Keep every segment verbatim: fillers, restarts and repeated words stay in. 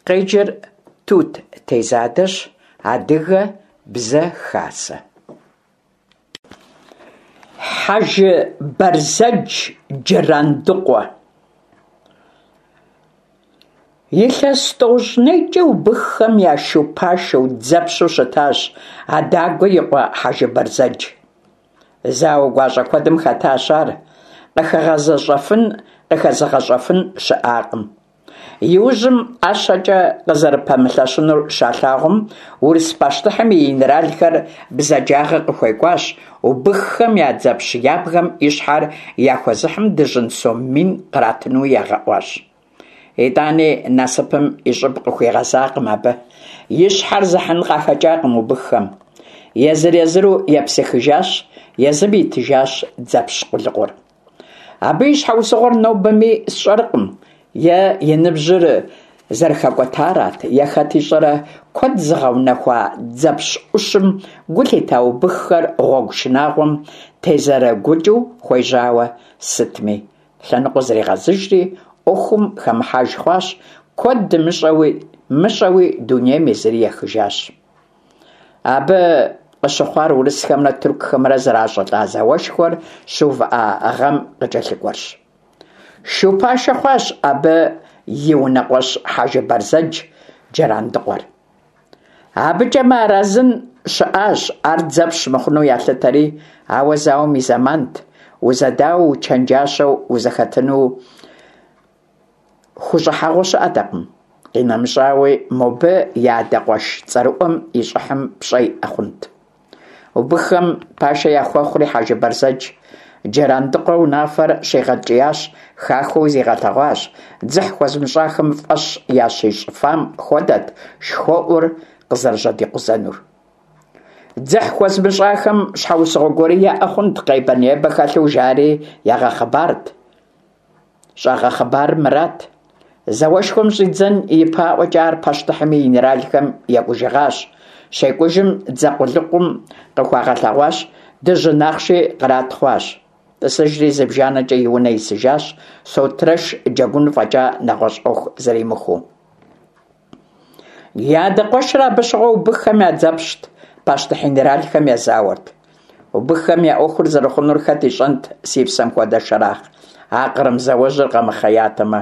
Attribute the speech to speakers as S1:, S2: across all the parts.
S1: Къеджэр Тут Тезадэщ, Адыгэ Бзэ Хасэ. Хьэжы Бэрзэдж Джырандыкъуэ. Илъэс тӏощӏ нейкӏэ убыххэм я шу пашэу, дзэпщу щытащ Адагуэ и къуэ Хьэжы Бэрзэдж. Зауэ гуащӏэ куэдым хэтащ ар, къыхэгъэзэщӏэфын, къыхэзыгъэщӏэфын щыӏакъым. Иужьым ӏэщэкӏэ къызэрыпэмылъэщынур щалъагъум, урыс пащтыхьым и генералхэр бзаджагъэ къыхуекӏуащ, убыххэм я дзэпщ ябгэм и щхьэр яхуэзыхьым дыжьын сом мин къратынуи ягъэӏуащ. Итӏани насыпым и щӏыб къыхуигъэзакъым абы, и щхьэр зыхьын къахэкӏакъым убыххэм. Езыр-езыру епсыхыжащ, езым итыжащ дзэпщ къулыкъур. Абы и щхьэусыгъуэр нобэми сщӏэркъым, е и ныбжьыр зэрыхэкӏуэтарат, е хэт ищӏэрэ, куэд зыгъэунэхуа дзэпщ ӏущым гу лъита убыххэр гъуэгу шынагъуэм тезэрыгукӏыу хуежьауэ сытми. Лъэныкъуэ зригъэзыжри, ӏуэхум хэмыхьэж хъуащ, куэд дымыщӏэуи мыщӏэуи дунейм езыри ехыжащ. Абы къыщыхъуар урысхэмрэ тыркухэмрэ зэращӏылӏа зауэшхуэр щыувыӏа гъэм къыкӏэлъыкӏуэрщ. Шу пашэ хъуащ абы и унэкъуэщ Хьэжы Бэрзэдж Джырандыкъуэр. Абыкӏэ мыарэзын щыӏащ, ар дзэпщ мыхъуну ялъытэри, ауэ зауэм и зэмант, узэдауэу, учэнджащэу узэхэтыну хущӏыхьэгъуэ щыӏэтэкъым. Къинэмыщӏауи, мобы и адэ къуэш цӏэрыӏуэм и щӏыхьым пщӏэ иӏэ хъунт. Убыххэм пашэ яхуэхъури Хьэжы Бэрзэдж Джырандыкъуэ унафэр щигъэткӏиящ, хахуэу зигъэлъэгъуащ, дзыхь хуэзымыщӏахэм фӏэщ ящищӏыфам хуэдэт шхуэӏур къызэрыжьэдикъузэнур. Дзыхь хуэзымыщӏахэм щхьэусыгъуэ гуэри яӏэ хъунт, къебэ-небэ хэлъу жари ягъэхъыбарт. Щӏагъэхъыбарыр мырат: зауэшхуэм щӏидзэн ипэӏуэкӏэ ар пащтыхьым и генералхэм екӏужыгъащ. Щекӏужым дзэ къулыкъум къыхуагъэлъэгъуащ, дыжьын ахъши кърат хъуащ. Тӏысыжри зыбжанэкӏэ и унэ исыжащ, сотрэш джэгун фӏэкӏа нэгъуэщӏ ӏуэху зэримыхуэу. И адэ къуэшыр абы щыгъуэ убыххэм я дзэпщт, пащтыхь генералхэм езауэрт. Убыххэм я ӏуэхур зэрыхъунур хэт ищӏэнт, си псэм хуэдэ Шэрахъ, а Кърым зауэжьыр къэмыхъеятэмэ.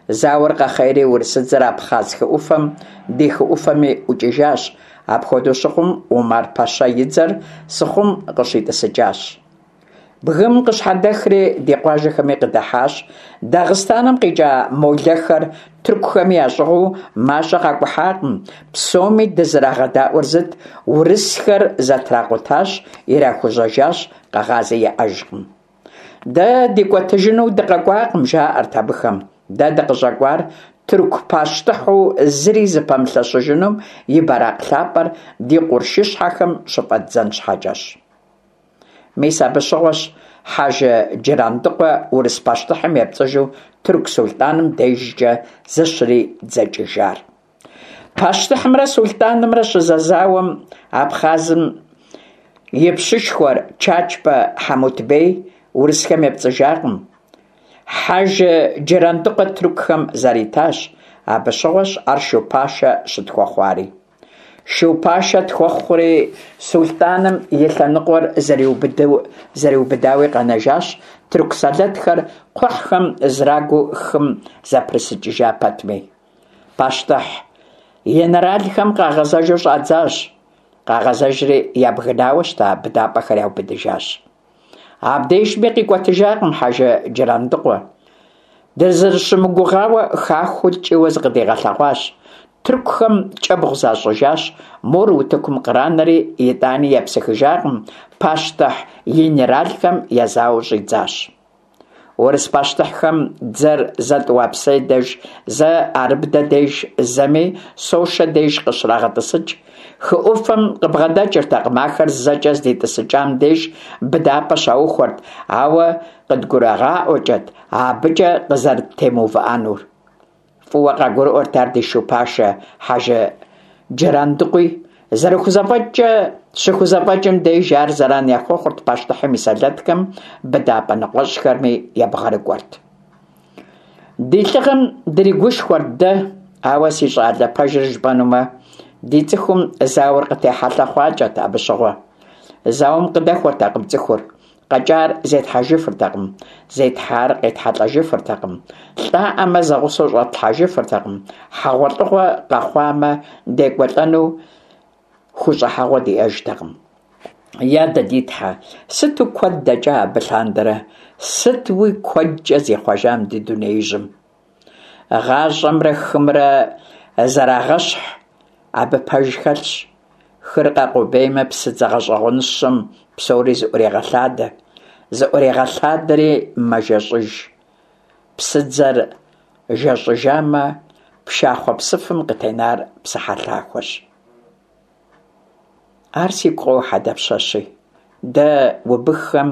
S1: Зауэр къэхъейри урысыдзэр Абхъаз хы ӏуфэм, ди хы ӏуфэми ӏукӏыжащ. Апхуэдэу щыхъум, Умар-пэщэ и дзэр Сыхъум къыщитӏысыкӏащ. Бгым къыщхьэдэхри ди къуажэхэми къыдыхьащ. Дагъыстаным къикӏа молэхэр тыркухэми ящӏыгъуу мащӏэ къакӏухьакъым. Псоми дызэрагъэдаӏуэр зыт: урысхэр зэтракъутащ, ирахужьэжащ, къэгъази яӏэжкъым. Дэ дикӏуэтыжыну дыкъэкӏуакъым, жаӏэрт абыхэм. Дэ дыкъыщӏэкӏуар тырку пащтыхьу зыри зыпэмылъэщыжынум и бэракъ лъапӏэр ди къуршыщхьэхэм щыфӏэддзэн щхьэкӏэщ. Мис абы щыгъуэщ Хьэжы Джырандыкъуэ урыс пащтыхьым епцӏыжу тырку сулътӏаным дежкӏэ зыщридзэкӏыжар. Пащтыхьымрэ сулътӏанымрэ щызэзауэм Абхъазым и пщышхуэр Чачбэ Хьэмутбей урысхэм епцӏыжакъым. Хьэжы Джырандыкъуэ тыркухэм заритащ. Абы щыгъуэщ ар шу пашэ щытхуэхъуари. Шу пашэ тхуэхъури, сулътӏаным и лъэныкъуэр зэриубыдауи къэнэжащ, тырку сэлэтхэр кхъухьхэм зрагуу хым зэпрысыкӏыжа пэтми. Пащтыхь генералхэм къагъэзэжу щӏадзащ. Къагъэзэжри ябгынауэ щыта быдапӏэхэр яубыдыжащ. Абдежми къикӏуэтыжакъым Хьэжы Джырандыкъуэ. Дызэрыщымыгугъауэ хахуэу ткӏийуэ зыкъыдигъэлъэгъуащ. Тыркухэм кӏэбгъу защӏыжащ, мор утыкум къранэри, итӏани епсыхыжакъым, пащтыхь генералхэм езауэу щӏидзащ. Урыс пащтыхьхэм дзэр зэ Тӏуапсы деж, зэ Арыбдэ деж, зэми Сошэ деж къыщрагъэтӏысыкӏ. Хы ӏуфэм къыбгъэдэкӏыртэкъым, ахэр зэкӏэ здитӏысыкӏам деж быдапӏэ щаухуэрт, ауэ къыдгурагъаӏуэкӏэт абыкӏэ къызэрыттемыувыӏэнур. Фӏыуэ къагурыӏуэрт ар ди шу пашэ Хьэжы Джырандыкъуи. Зэрыхузэфӏэкӏкӏэ щыхузэфӏэкӏым деж ар зэран яхуэхъурт пащтыхьым и сэлэтхэм, быдапӏэ ныкъуэщӏхэми ебгъэрыкӏуэрт. Ди лӏыгъэм дригушхуэрт дэ, Ауэ, си щӀалэ, пэжыр жыпӀэнумэ, ди цӀыхум зауэр къытехьэлъэ хъуакӀэт абы щыгъуэ. Зауэм къыдэхуэртэкъым цӀыхур, къэкӀар зетхьэжыфыртэкъым, зетхьар къетхьэлӀэжыфыртэкъым, лӀаӀамэ, зэгъусэу щӀэтлъхьэжыфыртэкъым, хьэгъуэлӀыгъуэ къэхъуамэ, декӀуэлӀэну хущӀыхьэгъуэ диӀэжтэкъым. Я дэ ди Тхьэ, сыту куэд дэкӀа абы лъандэрэ, сытуи куэдкӀэ зихъуэжа мы ди дунеижьым. ГъащӀэмрэ хымрэ зэрагъэщхь, абы пэж хэлъщ. Хыр къэкъубеймэ, псыдзэ гъэщӀэгъуэныщэм псори зыӀурегъэлъадэ, зыӀурегъэлъадэри мэжэщӀыж. Псыдзэр жэщӀыжамэ, пшахъуэ псыфым къытенар псыхьэлъахуэщ. Ар сигу къохьэ дапщэщи. Дэ, убыххэм,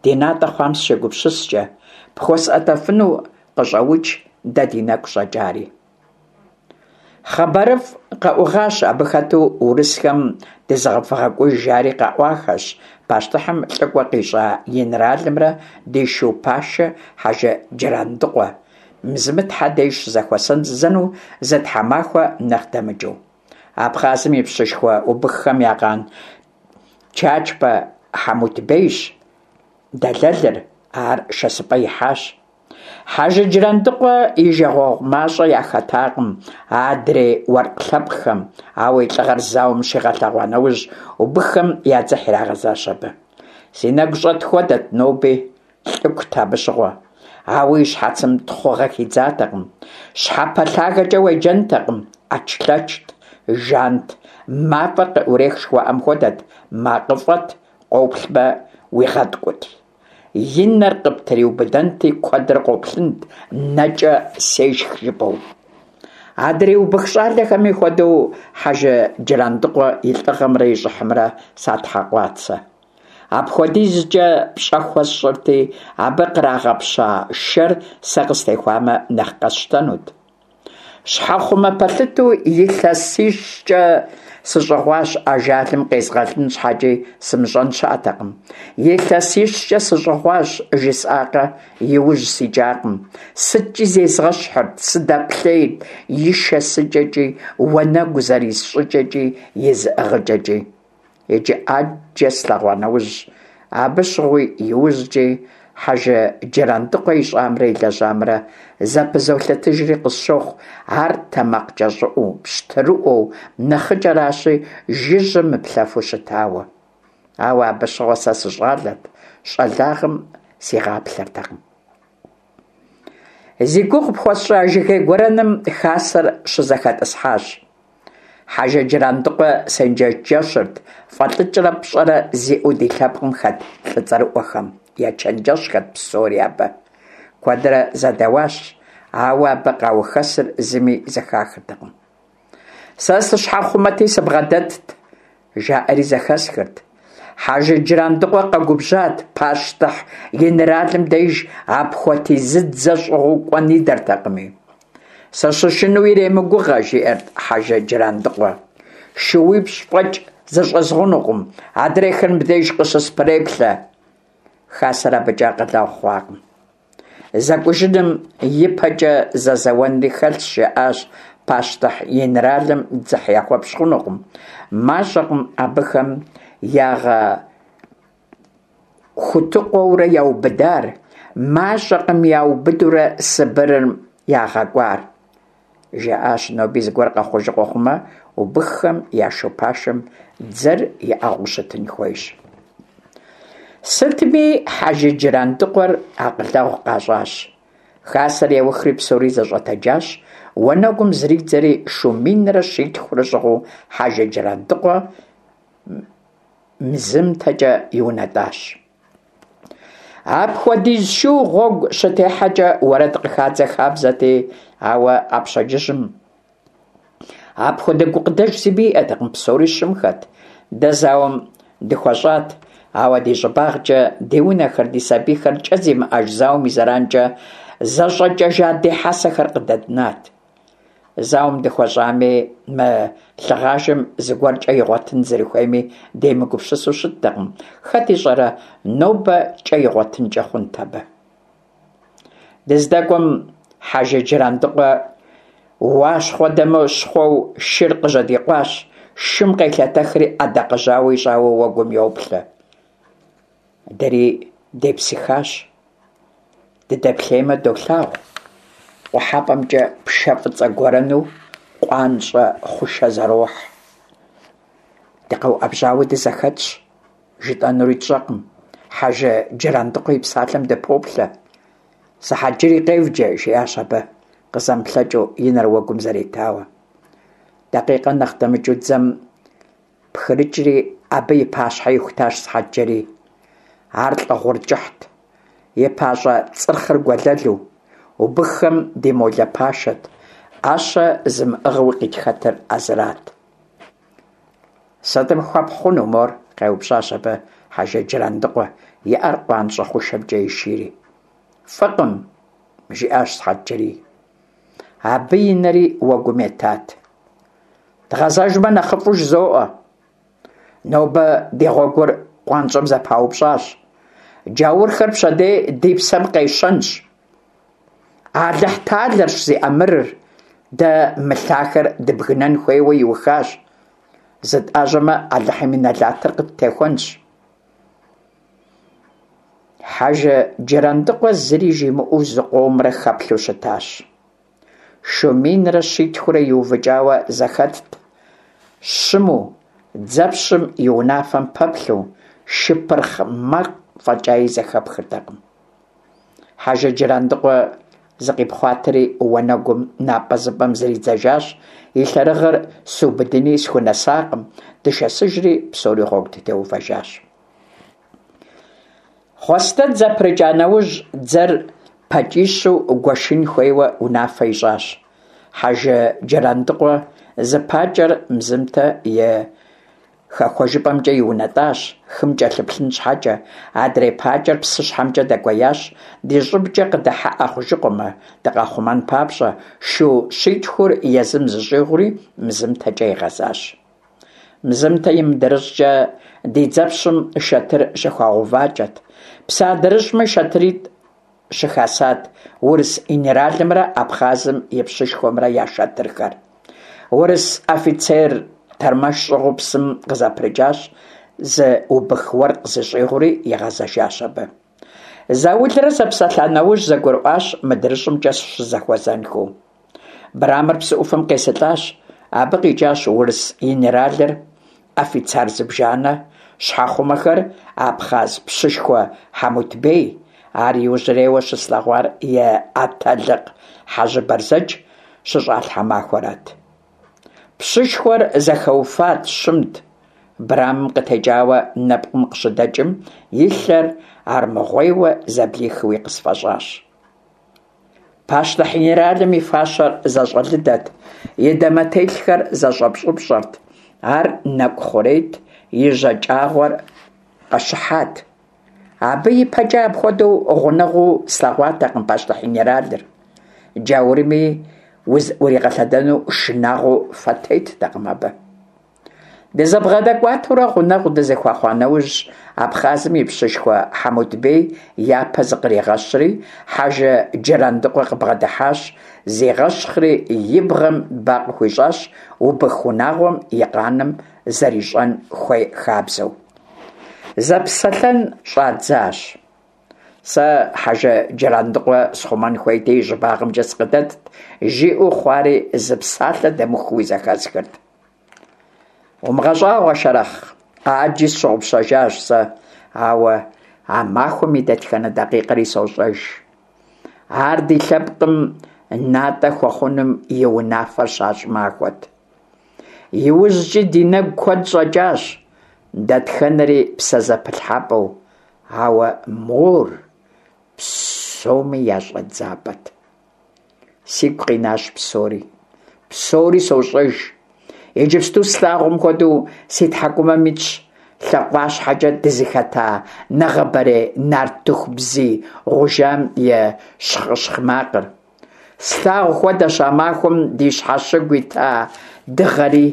S1: ди натӀэ хъуам сыщегупсыскӀэ, пхуэсӀуэтэфыну къыщӀэукӀ дэ ди нэгу щӀэкӀари. ХъыбарыфӀ къэӀугъащ, абы хэту урысхэм дызэвгъэкӀуж жари къаӀуахэщ пащтыхьым лӀыкӀуэ къищӀа инэралымрэ ди шу пашэ Хьэжы Джырандыкъуэ Мзымытхьэ деж щызэхуэсэну зы тхьэмахуэ нэхъ дэмыкӀыу. Абхъазым и пщышхуэ убыххэм я къан Чачбэ Хьэмутбейщ дэлэлыр, ар шэсыпӀэ ихьащ. Хьэжы Джырандыкъуэ и жагъуэгъу мащӀэ яхэтакъым адрей уэркъ лъэпкъхэм, ауэ и лӀыгъэр зауэм щигъэлъэгъуа нэужь, убыххэм я дзыхь ирагъэзащ абы. Си нэгу щӀэт хуэдэт ноби, лӀыкут абы щыгъуэ. Ауэ и щхьэцым тхъугъэ хидзатэкъым, щхьэпэлъагэкӀэ уеджэнтэкъым, Ӏэчлъэчт, жант, мафӀэр къыӀурех жыхуаӀэм хуэдэт, макъыфӀэт, къоплъмэ, уигъэткӀут. И нэр къыптриубыдэнти, куэдрэ къоплъынт, нэкӀэ сешх жыпӀэу. Адрей убых щӀалэхэми хуэдэу, Хьэжы Джырандыкъуэ и лӀыгъэмрэ и щӀыхьымрэ сатхьэкъуат сэ. АпхуэдизкӀэ пщӀэ хуэсщӀырти, абы кърагъэпща шэр сэ къыстехуамэ нэхъ къэсщтэнут. Щхьэхъумэ пэлъытэу илъэсищкӀэ сыщӀыгъуащ, ажалым къезгъэлын щхьэкӀи сымыщӀэн щыӀэтэкъым. ИлъэсищкӀэ сыщӀыгъуащ, жысӀакъэ, и ужь сикӀакъым. СыткӀи зезгъэщхьырт, сыдэплъейрт и шэсыкӀэкӀи, уанэгу зэрис щӀыкӀэкӀи, и зыӀыгъыкӀэкӀи. Иджы Ӏэджэ слъэгъуа нэужь, абы щыгъуи иужькӀи Хьэжы Джырандыкъуэ ищӀамрэ илэжьамрэ зэпызолъытыжри къысщохъу ар тэмакъкӀэщӀыӀуэу, пщтырыӀуэу, нэхъыкӀэращи, жыжьэ мыплъэфу щытауэ. Ауэ абы щыгъуэ сэ сыщӀалэт, щӀалагъэм сигъаплъэртэкъым. Зи гугъу пхуэсщӀа жыгей гуэрэным хасэр щызэхэтӀысхьащ. Хьэжы Джырандыкъуэ сенджэщырт фӀэлӀыкӀрэ пщӀэрэ зиӀэу ди лъэпкъым хэт лӀы цӀэрыӀуэхэм. Ечэнджэщхэрт псори абы. Куэдрэ зэдэуащ, ауэ абы къаухэсыр зыми зэхахыртэкъым. Сэ сыщхьэхъумэти сыбгъэдэтт, жаӀэри зэхэсхырт. Хьэжы Джырандыкъуэ къэгубжьат, пащтыхь генералым деж апхуэдизыдзэ щӀыгъуу кӀуэн идэртэкъыми. Сыщышынэу иремыгугъэ, жиӀэрт Хьэжы Джырандыкъуэ. ШууипщӀ фӀэкӀ зыщӀэзгъунукъым, адрейхэр мыбдеж къыщыспреплъэ. Хасэр абыкӀэ акъылэгъу хъуакъым. ЗэкӀужыным и пэкӀэ зэзэуэнри хэлъщ, жаӀащ, пащтыхь генералым дзыхь яхуэпщӀ хъунукъым. МащӀэкъым абыхэм ягъэхутыкъуэурэ яубыдар, мащӀэкъым яубыдурэ Сыбырым ягъэкӀуар. ЖаӀащ, ноби зыгуэр къэхъужыкъуэ хъумэ, убыххэм я шу пашэм дзэр иӀыгъыу щытын хуейщ. Сытми, Хьэжы Джырандыкъуэр акъылэгъу къащӀащ. Хасэр яухри псори зэщӀэтэджащ, уанэгум зридзэри шу минрэ щитхурэ щӀыгъуу Хьэжы Джырандыкъуэ МзымтэкӀэ иунэтӀащ. Апхуэдиз шу гъуэгу щытехьэкӀэ уэрэд къыхадзэ хабзэти, ауэ а пщэдджыжьым апхуэдэ гукъыдэж зыми иӀэтэкъым, псори щымхэт. Дэ зауэм дыхуэщӀат, ауэ ди щӀыбагъкӀэ ди унэхэр, ди сабийхэр кӀэ зимыӀэж зауэм и зэранкӀэ зэщӀэкӀэжа ди хьэсэхэр къыдэднат. Зауэм дыхуэщӀами, мы лъыгъажэм зыгуэр кӀэ игъуэтын зэрыхуейми демыгупсысу щыттэкъым. Хэт ищӀэрэ, нобэ кӀэ игъуэтынкӀэ хъунт абы. ДыздэкӀуэм Хьэжы Джырандыкъуэ Уащхъуэдэмыщхъуэу шыр къыжьэдикъуащ, шым къелъэтэхри ӏэдакъэжьауэ ищӏауэ уэгум йоплъэ. Дэри депсыхащ. Дыдэплъеймэ, долъагъу къухьэпӀэмкӀэ пшэ фӀыцӀэ гуэрэну къуанщӀэ хъушэ зэрохь. ДыкъэуӀэбжьауэ дызэхэтщ, жытӀэнури тщӀэркъым, Хьэжы Джырандыкъуэ и псалъэм дыпоплъэ. «Сыхьэтджэрий къевджэ», – жиӀащ абы, къызэмыплъэкӀыу, и нэр уэгум зэритауэ. Дакъикъэ нэхъ дэмыкӀыу дзэм пхрыкӀри, абы и пащхьэ ихутащ Сыхьэтджэрий. Ар лӀы гъур кӀыхьт, и пащӀэ цӀырхъыр гуэлэлу. Убыххэм ди молэ пашэт, Ӏэщэ зымыӀыгъыуи къытхэтыр а зырат. «Сытым хуэпхь хъуну мор?» – къеупщӀащ абы Хьэжы Джырандыкъуэ, и Ӏэр къуанщӀэ хъушэмкӀэ ишийри. «ФӀыкъым», – жиӀащ Сыхьэтджэрий. Абы и нэри уэгум етат. «Дгъэзэжмэ, нэхъыфӀу жызоӀэ. Нобэ ди гъуэгур къуанщӀэм зэпаупщӀащ. Джаурхэр пщэдей ди псэм къещэнщ. Алыхьталэрщ зи Ӏэмырыр, дэ мы лъахэр дыбгынэн хуейуэ иухащ. ЗытӀэжьэмэ, Алыхьым и нэлатыр къыттехуэнщ». Хьэжы Джырандыкъуэ зыри жимыӀэу зыкъомрэ хэплъэу щытащ. Шу минрэ щитхурэ иувыкӀауэ зэхэтт, щыму, дзэпщым и унафэм пэплъэу, шы пырхъ макъ фӀэкӀаи зэхэпхыртэкъым. Хьэжы Джырандыкъуэ зыкъипхъуатэри уанэгум напӀэзыпӀэм зридзэжащ, и лъэрыгъыр сыубыдыни схунэсакъым, дышэсыжри псори гъуэгу дытеувэжащ. Хъуэстэн зэпрыкӀа нэужь, дзэр пакӀищу гуэшын хуейуэ унафэ ищӀащ. Хьэжы Джырандыкъуэ зы пакӀэр Мзымтэ и хэхуэжыпӀэмкӀэ иунэтӀащ, хым кӀэлъыплъын щхьэкӀэ, адрей пакӀэр псыщхьэмкӀэ дэкӀуеящ, ди щӀыбкӀэ къыдыхьэӀэ хъужыкъуэмэ, дыкъахъумэн папщӀэ, шу щитхур езым зыщӀигъури МзымтэкӀэ игъэзащ. Мзымтэ и мыдрыщӀкӀэ ди дзэпщым шэтыр щыхуагъэувакӀэт. Псы адрыщӀми шэтыритӀ щыхасат урыс инэралымрэ Абхъазым и пщышхуэмрэ я шэтырхэр. Урыс офицер тэрмэш щӀыгъуу псым къызэпрыкӀащ, зы убых уэркъ зыщӀигъури игъэзэжащ абы. Заулрэ зэпсэлъа нэужь зэгурыӀуащ мыдрыщӀымкӀэ щызэхуэзэнхэу. Брамыр псы Ӏуфэм къесылӀащ. Абы къикӀащ урыс инэралыр, офицер зыбжанэ, щхьэхъумэхэр, абхъаз пщышхуэ Хьэмутбей. Ар иужьрейуэ щыслъэгъуар и атэлыкъ Хьэжы Бэрзэдж щыщӀалъхьа махуэрат. Пщышхуэр зэхэуфат, щымт. Брамым къытекӀауэ нэпкъым къыщыдэкӀым, и лъэр армыгъуейуэ зэблихыуи къысфӀэщӀащ. Пащтыхь инэралым и фащэр зэщӀэлыдэт, и дамэтелъхэр зэщӀэпщӀыпщӀэрт, ар нэкӀу хъурейт, и жьакӀагъуэр къэщыхьат. Абы и пэкӀэ апхуэдэу гъунэгъуу слъэгъуатэкъым пащтыхь инэралыр. Джаурми уригъэлъэдэну шынагъуэу фэ теттэкъым абы. ДызэбгъэдэкӀуатэурэ гъунэгъу дызэхуэхъуа нэужь, Абхъазым и пщышхуэ Хьэмутбей япэ зыкъригъэщри, Хьэжы Джырандыкъуэ къыбгъэдыхьащ, зигъэщхъри и бгъэм ба къыхуищӀащ, убых унагъуэм и къаным зэрищӀэн хуей хабзэу. Зэпсэлъэн щӀадзащ. Сэ Хьэжы Джырандыкъуэ схъумэн хуейти, и щӀыбагъымкӀэ сыкъыдэтт, жиӀэу хъуари зы псалъэ дэмыхууи зэхэсхырт. УмыгъэщӀагъуэ, Шэрэхъ, Ӏэджи сщыгъупщэжащ сэ, ауэ а махуэм и дэтхэнэ дакъикъэри сощӀэж. Ар ди лъэпкъым натӀэ хуэхъунум и унафэр щащӀ махуэт. ИужькӀи ди нэгу куэд щӀэкӀащ, дэтхэнэри псэзэпылъхьэпӀэу, ауэ мор псоми я щӀэдзапӀэт. Сигу къинащ псори. Псори сощӀэж. Иджыпсту слъагъум хуэдэу си тхьэкӀумэм итщ лъакъуащхьэкӀэ дызыхэта нэгъабэрей нартыху бзий гъужам и щхъыщхъ макъыр. Слъагъу хуэдэщ а махуэм ди щхьэщыгу ита дыгъэри.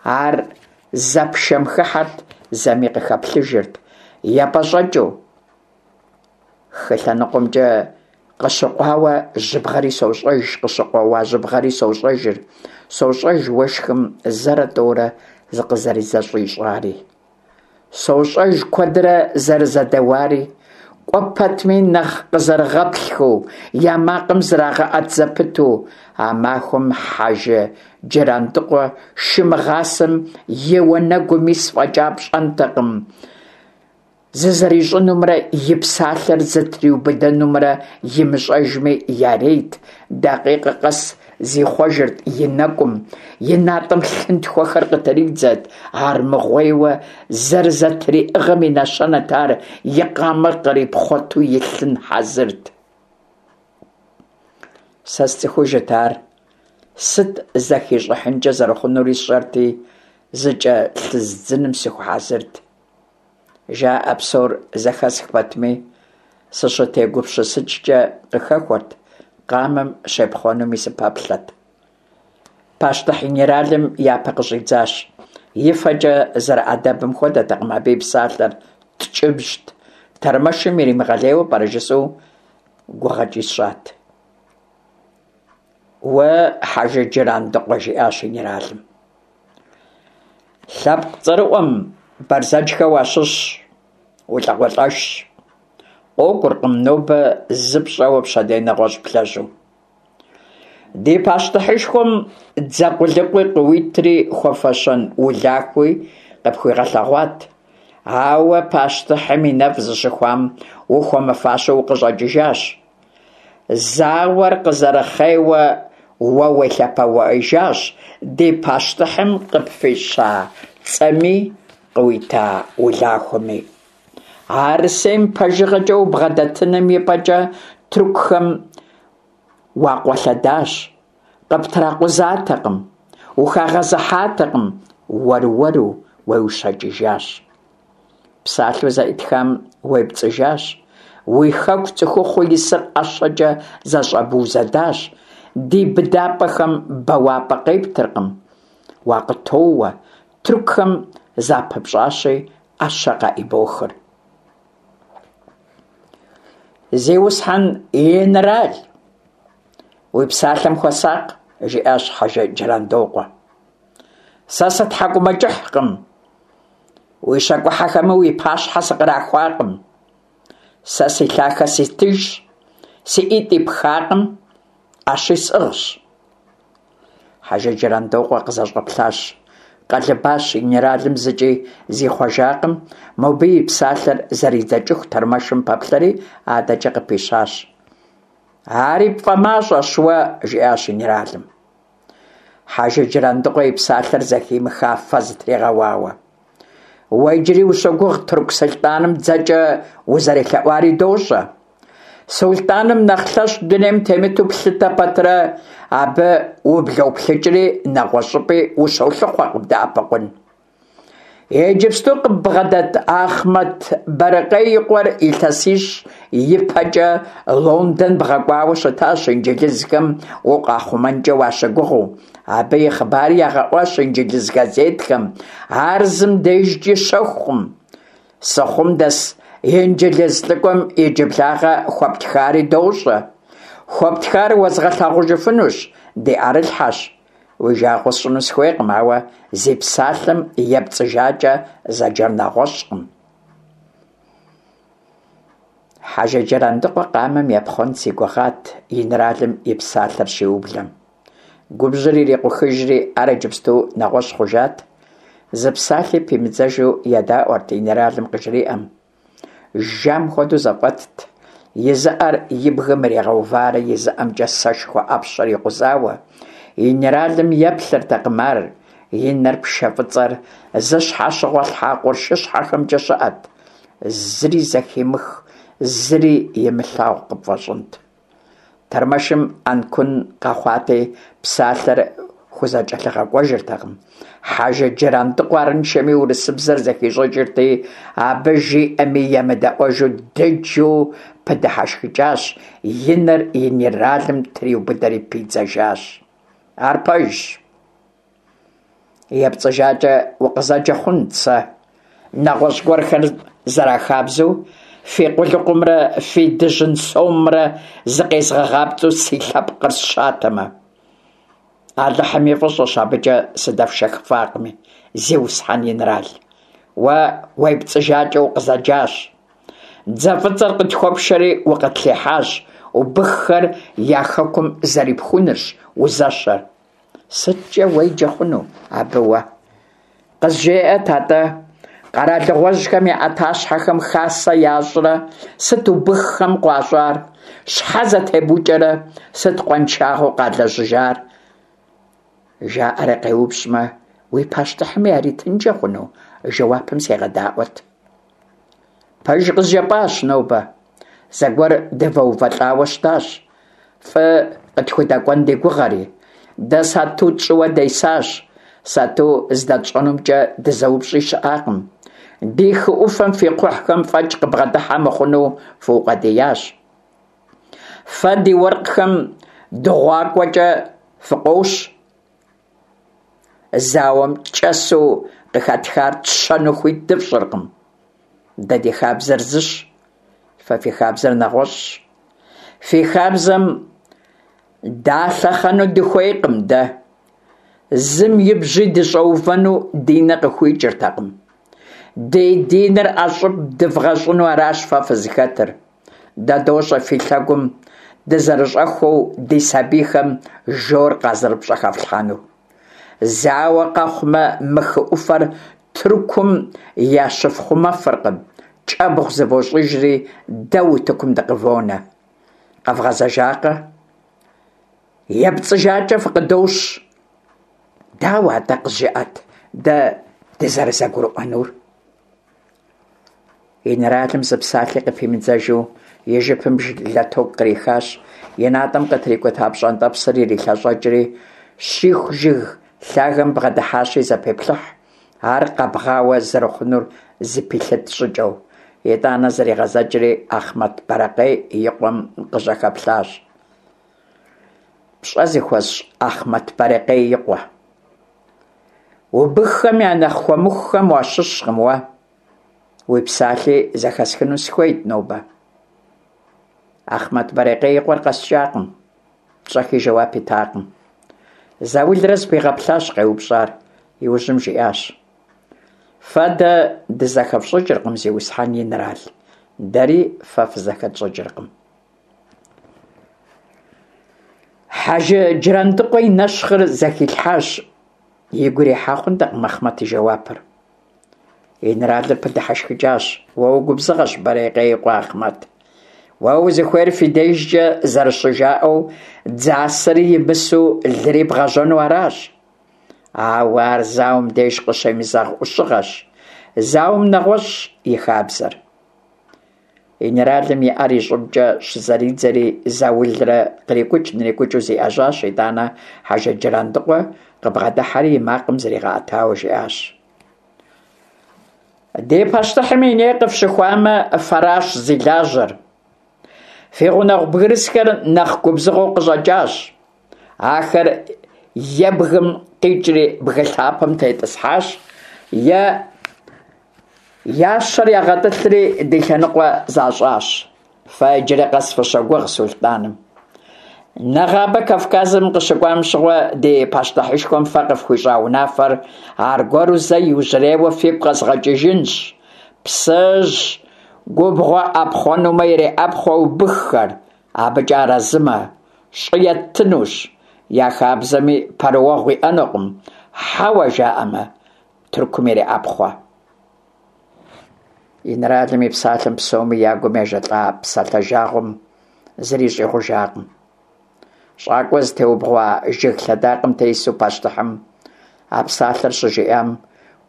S1: Ар зэ пшэм хыхьэрт, зэми къыхэплъыжырт, епӀэщӀэкӀыу. Хы лъэныкъуэмкӀэ Къыщыкъуауэ жьыбгъэри сощӏэж, къыщыкъуэуа жьыбгъэри сощӏэжыр, сощӏэж уэшхым зэрэ-тӏэурэ зыкъызэрызэщӏищӏари. Сощӏэж куэдрэ зэрызэдэуари, кӏуэ пэтми нэхъ къызэрыгъэплъхэу, я макъым зрагъэӏэт зэпыту. А махуэм Хьэжы Джырандыкъуэ шы мыгъасэм и уанэгум ис фӏэкӏа пщӏэнтэкъым, зызэрищӏынумрэ и псалъэр зытриубыдэнумрэ имыщӏэжми ярейт, дакъикъэ къэс зихъуэжырт и нэкӏум, и натӏэм лъынтхуэхэр къытридзэрт, армыгъуейуэ зэрызэтриӏыгъэм и нэщэнэт ар, и къамэр кърипхъуэту илъын хьэзырт. Сэ сцӏыхужырт ар, сыт зэхищӏыхьынкӏэ зэрыхъунури сщӏэрти, зыкӏэлъыздзыным сыхуэхьэзырт. Жаӏэ псор зэхэсх пэтми, сыщытегупсысыкӏкӏэ къыхэхуэрт, къамэм щепхъуэнуми сыпэплъэрт. Пащтыхь инэралым япэ къыщӏидзащ. И фэкӏэ зэрыӏэдэбым хуэдэтэкъым абы и псалъэр, ткӏыбжьт. Тэрмэшым иримыгъэлейуэ пӏэрэ жысӏэу гугъэкӏи сщӏат. Уэ, Хьэжы Джырандыкъуэ, жиӏащ инэралым. Лъэпкъ цӏэрыӏуэм, Бэрзэджхэ уащыщщ, улӏакъуэлӏэшщ. Къокӏуркъым нобэ зы пщӏэуэ пщэдей нэгъуэщӏ блэжьу. Ди пащтыхьышхуэм дзэ къулыкъуи къыуитри хуэфэщэн улахуи къыпхуигъэлъэгъуат. Ауэ пащтыхьым и нэфӏ зыщыхуам ухуэмыфащэу укъыщӏэкӏыжащ. Зауэр къызэрыхъейуэ уэ уелъэпэуэжащ ди пащтыхьым къыпфӏища цӏэми къыуита улахуэми. Арысейм пэжыгъэкӏэ убгъэдэтыным и пӏэкӏэ тыркухэм уакъуэлъэдащ, къыптракъузатэкъым, ухагъэзыхьатэкъым, уэр-уэру уеущэкӏыжащ. Псалъэу зэӏытхам уепцӏыжащ, уи хэку цӏыхухъуу исыр ӏэщэкӏэ зэщӏэбузэдащ, ди быдапӏэхэм бэуапӏэ къептыркъым, уакъытоуэ, тыркухэм запыпщӏащи, ӏэщэ къаӏыбохыр. Зиусхьэн инэрал, уи псалъэм хуэсакъ, жиӏащ Хьэжы Джырандокъуэ. Сэ сытхьэкӏумэкӏыхькъым, уи щакӏухьэхэми уи пащхьэ сыкърахуакъым. Сэ си лъахэ ситыжщ, си ӏитӏ ипхакъым, ӏэщи сӏыгъщ. Хьэжы Джырандокъуэ къызэщӏэплъащ, къэлыбащ, инэралым зыкӏи зихъуэжакъым, мобы и псалъэр зэридзэкӏыху тэрмэшым пэплъэри адэкӏэ къыпищащ. Ари пфӏэмащӏэщ уэ, жиӏащ инэралым. Хьэжы Джырандыкъуэ и псалъэр зэхимыха фэ зытригъэуауэ. Уэ иджыри ущогугъ тырку сулътӏаным дзэкӏэ узэрелъэӏуари дощӏэ. Сулътӏаным нэхъ лъэщ дунейм темыту плъытэ пэтрэ, абы ублоплъыкӏри нэгъуэщӏ щӏыпӏи ущолъыхъуэ къыбдэӏэпыкъун. Иджыпсту къыббгъэдэт Ахъмэт Бэрыкъей и къуэр илъэсищ ипэкӏэ Лондон бгъэкӏуауэ щытащ инджылызхэм укъахъумэнкӏэ уащыгугъыу. Абы и хъыбари ягъэӏуащ инджылыз газетхэм, ар зым дежкӏи щэхукъым. Сыхъум дэс инджылыз лӏыкӏуэм иджыблагъэ хуэптхари дощӏэ. Хуэптхар уэзгъэлъагъужыфынущ, ди ӏэрылъхьэщ. Уи жагъуэ сщӏыну сыхуейкъым, ауэ зи псалъэм епцӏыжакӏэ зэджэр нэгъуэщӏкъым. Хьэжы Джырандыкъуэ къамэм епхъуэн си гугъат инэралым и псалъэр щиублэм. Губжьыр ирикъухыжри, ар иджыпсту нэгъуэщӏ хъужат. Зы псалъи пимыдзэжу едаӏуэрт инэралым къыжриӏэм. Жам хуэдэу зэфӏэтт, и зы ӏэр и бгым иригъэуварэ и зы ӏэмкӏэ сэшхуэ ӏэпщэр икъузауэ. Инэралым еплъыртэкъым ар, и нэр пшэ фӏыцӏэр зыщхьэщыгъуэлъхьа къуршыщхьэхэмкӏэ щыӏэт. Зыри зэхимых, зыри имылъагъу къыпфӏэщӏынт. Тэрмэшым ӏэнкун къэхъуати, псалъэр хузэкӏэлъыгъэкӏуэжыртэкъым. Хьэжы Джырандыкъуэ арыншэми урысыбзэр зэхищӏыкӏырти, абы жиӏэми емыдэӏуэжу дыджу пыдыхьэшхыкӏащ, и нэр инэралым триубыдэри пидзэжащ. Ар пэжщ. ЕпцӀыжакӀэ укъызэджэ хъунт сэ. Нэгъуэщӏ гуэрхэр зэрахабзэу, Фи къулыкъумрэ фи дыжьын сомымрэ зыкъезгъэгъапцӏэу си лъэпкъыр сщатэмэ. Алыхьым и фӏыщӏэщ абыкӏэ сыдэфшэхыфакъыми, зиусхьэн инрал. Уэ уепцӏыжакӏэ укъызэджащ. Дзэ фӏыцӏэр къытхуэпшэри укъытлъихьащ, убыххэр я хэкум зэрипхунырщ узэщэр. СыткӀэ уеджэ хъуну абы уэ? КъызжеӀэт атӀэ, къэралыгъуэжьхэм я Ӏэтащхьэхэм хасэ ящӀрэ, сыт убыххэм къуащӀар? Щхьэ зэтебукӀэрэ, сыт къуаншагъэу къалэжьыжар? ЖаӀэрэ къеупщӀмэ, уи пащтыхьым яритынкӀэ хъуну жэуапым сегъэдаӀуэт. Пэж къызжепӀащ нобэ. Зэгуэр дывэувэлӀауэ щытащ, фӀы къытхудэкӀуэн ди гугъэри. Дэ сату тщӀыуэ десащ, сату здэтщӀэнумкӀэ дызэупщӀи щыӀакъым. Ди хы Ӏуфэм фи кхъухьхэм фӀэкӀ къыбгъэдыхьэ мыхъуну фыукъуэдиящ. Фэ ди уэркъхэм дыгъуакӀуэкӀэ фыкъощ. Зауэм кӀэсу къыхэтхар тщэну хуит дыфщӀыркъым. Дэ ди хабзэр зыщ, фэ фи хабзэр нэгъуэщӀщ. Фи хабзэм далъэхъэну дыхуейкъым дэ. Зым и бжьи дыщӀэувэну ди нэ къыхуикӀыртэкъым. Ди диныр ӀэщӀыб дывгъэщӀыну аращ фэ фызыхэтыр. Дэ дощӀэ фи лъэгум дызэрыщӀэхуэу ди сабийхэм жор къазэрыпщӀэхэфлъхьэнур. Зауэ къэхъумэ, мы хы Ӏуфэр Тыркум ящыфхъумэфыркъым, кӀэбгъу зывощӀыжри, дэ утыкум дыкъывонэ. Къэвгъэзэжакъэ? ЕпцӀыжакӀэ фыкъыдощ. Дауэ атӀэ къызжеӀэт дэ дызэрызэгурыӀуэнур? Инэралым зы псалъи къыпимыдзэжу и жыпым лэток кърихащ, и натӀэм къытрикӀута пщӀэнтӀэпсыр ирилъэщӀэкӀри, щиху жыг лъагэм бгъэдыхьащи зэпеплъыхь, ар къэбгъауэ зэрыхъунур зэпилъыт щӀыкӀэу. ИтӀанэ зригъэзэкӀри Ахъмэт Бэрэкъей и къуэм къыжьэхэплъащ. ПщӀэ зыхуэсщӀ Ахъмэт Бэрэкъей и къуэ! Убыххэм я нэхъ хуэмыхухэм уащыщкъым уэ. Уи псалъи зэхэсхыну сыхуейт нобэ. Ахъмэт Бэрэкъей и къуэр къэскӀакъым, щӀэхи жэуап итакъым. Заулрэ зыпигъэплъащ къеупщӀар, иужьым жиӀащ: Фэ дэ дызэхэфщӀыкӀыркъым, зиусхьэн инрал, дэри фэ фызэхэтщӀыкӀыркъым. Хьэжы Джырандыкъуэ и нэщхъыр зэхилъхьащ, игу ирихьа хъунтэкъым Ахъмэт и жэуапыр. Инэралыр пыдыхьэшхыкӀащ: Уэ угубзыгъэщ, Бэрэкъей и къуэ Ахъмэт. Уэ узыхуейр фи дежкӀэ зэрыщыжаӀэу дзасэри имысу лыри бгъэжьэну аращ. Ауэ ар зауэм деж къыщемызэгъ Ӏущыгъэщ. Зауэм нэгъуэщӀщ и хабзэр. Инэралым и Ӏэр и щӀыбкӀэ щызэридзэри заулрэ кърикӀукӀ-нрикӀукӀыу зиӀэжьащ, итӀанэ Хьэжы Джырандыкъуэ къыбгъэдыхьэри и макъым зригъэӀэтауэ жиӀащ: Ди пащтыхьым и ней къыфщыхуамэ, фэращ зи лажьэр. Фи гъунэгъу бгырысхэр нэхъ губзыгъэу къыщӀэкӀащ. Ахэр е бгым къикӀри бгы лъапэм тетӀысхьащ, е я щэр ягъэтӀылъри ди лъэныкъуэ защӀащ. Фэ иджыри къэс фыщогугъ сулътӀаным. Нэгъабэ Кавказым къыщыкӀуам щыгъуэ ди пащтыхьышхуэм фэ къыфхуищӀа унафэр аргуэру зэ иужьрейуэ фигу къэзгъэкӀыжынщ. Псыжь губгъуэ Ӏэпхъуэнумэ, иреӀэпхъуэ убыххэр, абыкӀэ арэзымэ, щӀы еттынущ, я хабзэми пэрыуэгъу иӀэнукъым, хьэуэ жаӀэмэ, Тыркум иреӀэпхъуэ. Инэралым и псалъэм псоми я гум ежэлӀа псалъэ жагъуэм зыри щӀигъужакъым. ЩӀакӀуэ зытеубгъуа жыг лъэдакъэм тесу пащтыхьым а псалъэр щыжиӀам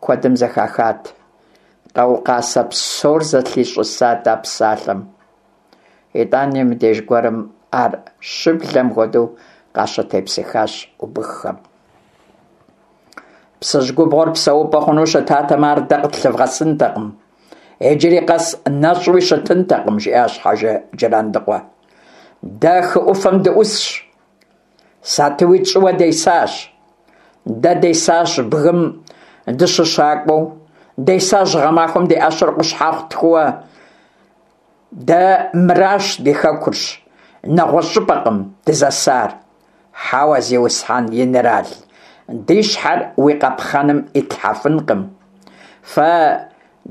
S1: куэдым зэхахат. Къаукъаз псор зэлъищӀысат а псалъэм. ИтӀани мыбдеж гуэрым ар щыблэм хуэдэу къащытепсыхащ убыххэм. Псыжь губгъуэр псэупӀэ хъуну щытатэмэ, ар дэ къытлъывгъэсынтэкъым. Иджыри къэс нэщӀуи щытынтэкъым, жиӀащ Хьэжы Джырандыкъуэ. Дэ хы Ӏуфэм дыӀусщ, сатуи тщӀыуэ десащ. Дэ десащ бгым дыщыщакӀуэу, десащ гъэмахуэм ди Ӏэщэр къущхьэхъу тхууэ, Дэ мыращ ди хэкурщ, нэгъуэщӏ щӏыпӏэкъым дызэсар. Хьэуэ, зиусхьэн инэрал, ди щхьэр уи къапхъэным итлъхьэфынкъым. Фэ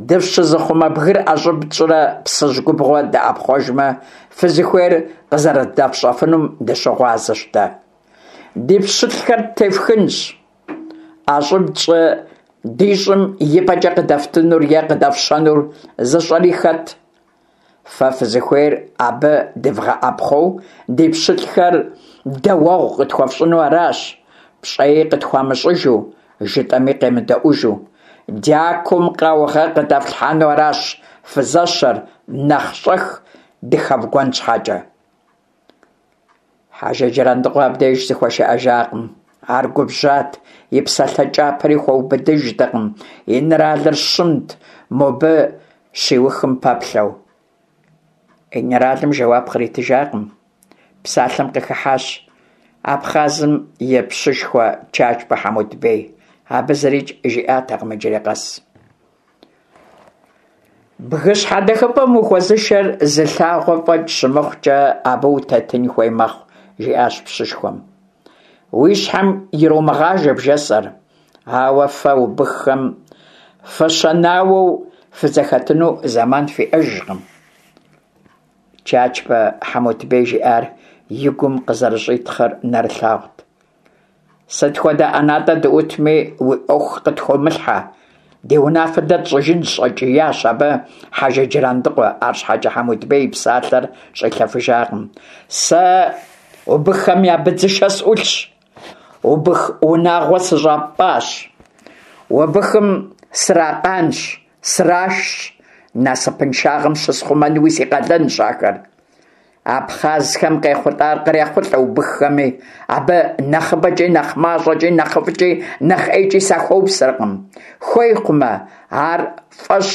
S1: дыфщызыхъумэ бгыр ӏэщӏыб тщӏырэ Псыжь губгъуэ дыӏэпхъуэжмэ, фызыхуейр къызэрыдэфщӏэфынум дыщыгъуазэщ дэ. Ди пщылӏхэр ттефхынщ. ӏэщӏыб тщӏы ди щӏым и пӏэкӏэ къыдэфтынур е къыдэфщэнур зыщӏэри хэт? Фэ фызыхуейр абы дывгъэӏэпхъуэу ди пщылӏхэр дэуэгъу къытхуэфщӏыну аращ, пщӏэи къытхуамыщӏыжу, жытӏэми къемыдэӏужу. Дякум къаугъэ къыдэфлъхьэну аращ фызэщэр, нэхъ щӏэх дыхэвгуэн щхьэкӏэ. Хьэжы Джырандыкъуэ абдеж зыхуэшыӏэжакъым. Ар губжьат, и псалъэ кӏапэри хуэубыдыжтэкъым. Инэралыр щымт, мобы щиухым пэплъэу. Инэралым жэуап къритыжакъым. Псалъэм къыхыхьащ Абхъазым и пщышхуэ Чачбэ Хьэмутбей. Абы зырикӏ жиӏатэкъым иджыри къэс. Бгы щхьэдэхыпӏэм ухуэзышэр зы лъагъуэ фӏэкӏ щымыхъукӏэ, абы утетын хуей мэхъу, жиӏащ пщышхуэм. Уи щхьэм иромыгъажэ бжесӏэр, ауэ фэ убыххэм фыщэнауэу фызэхэтыну зэман фиӏэжкъым. Чачбэ Хьэмутбей жиӏар и гум къызэрыщӏитхъыр нэрылъагъут. Сыт хуэдэ ӏэнатӏэ дыӏутми, уи ӏуэху къытхомылъхьэ, ди унафэ дэ тщӏыжынщ, щӏэкӏиящ абы Хьэжы Джырандыкъуэ, арщхьэкӏэ Хьэмутбей и псалъэр щӏилъэфыжакъым. Сэ убыххэм я быдзышэ сӏулъщ, убых унагъуэ сыщӏапӏащ, убыхым сракъанщ, срашщ, насыпыншагъэм щысхъумэнуи си къалэнщ ахэр. Абхъазхэм къехъулӏар кърехъулӏэ убыххэми, абы нэхъыбэкӏи, нэхъ мащӏэкӏи, нэхъыфӏкӏи, нэхъ ӏейкӏи сахуэупсэркъым. Хуей хъумэ, ар фӏэщ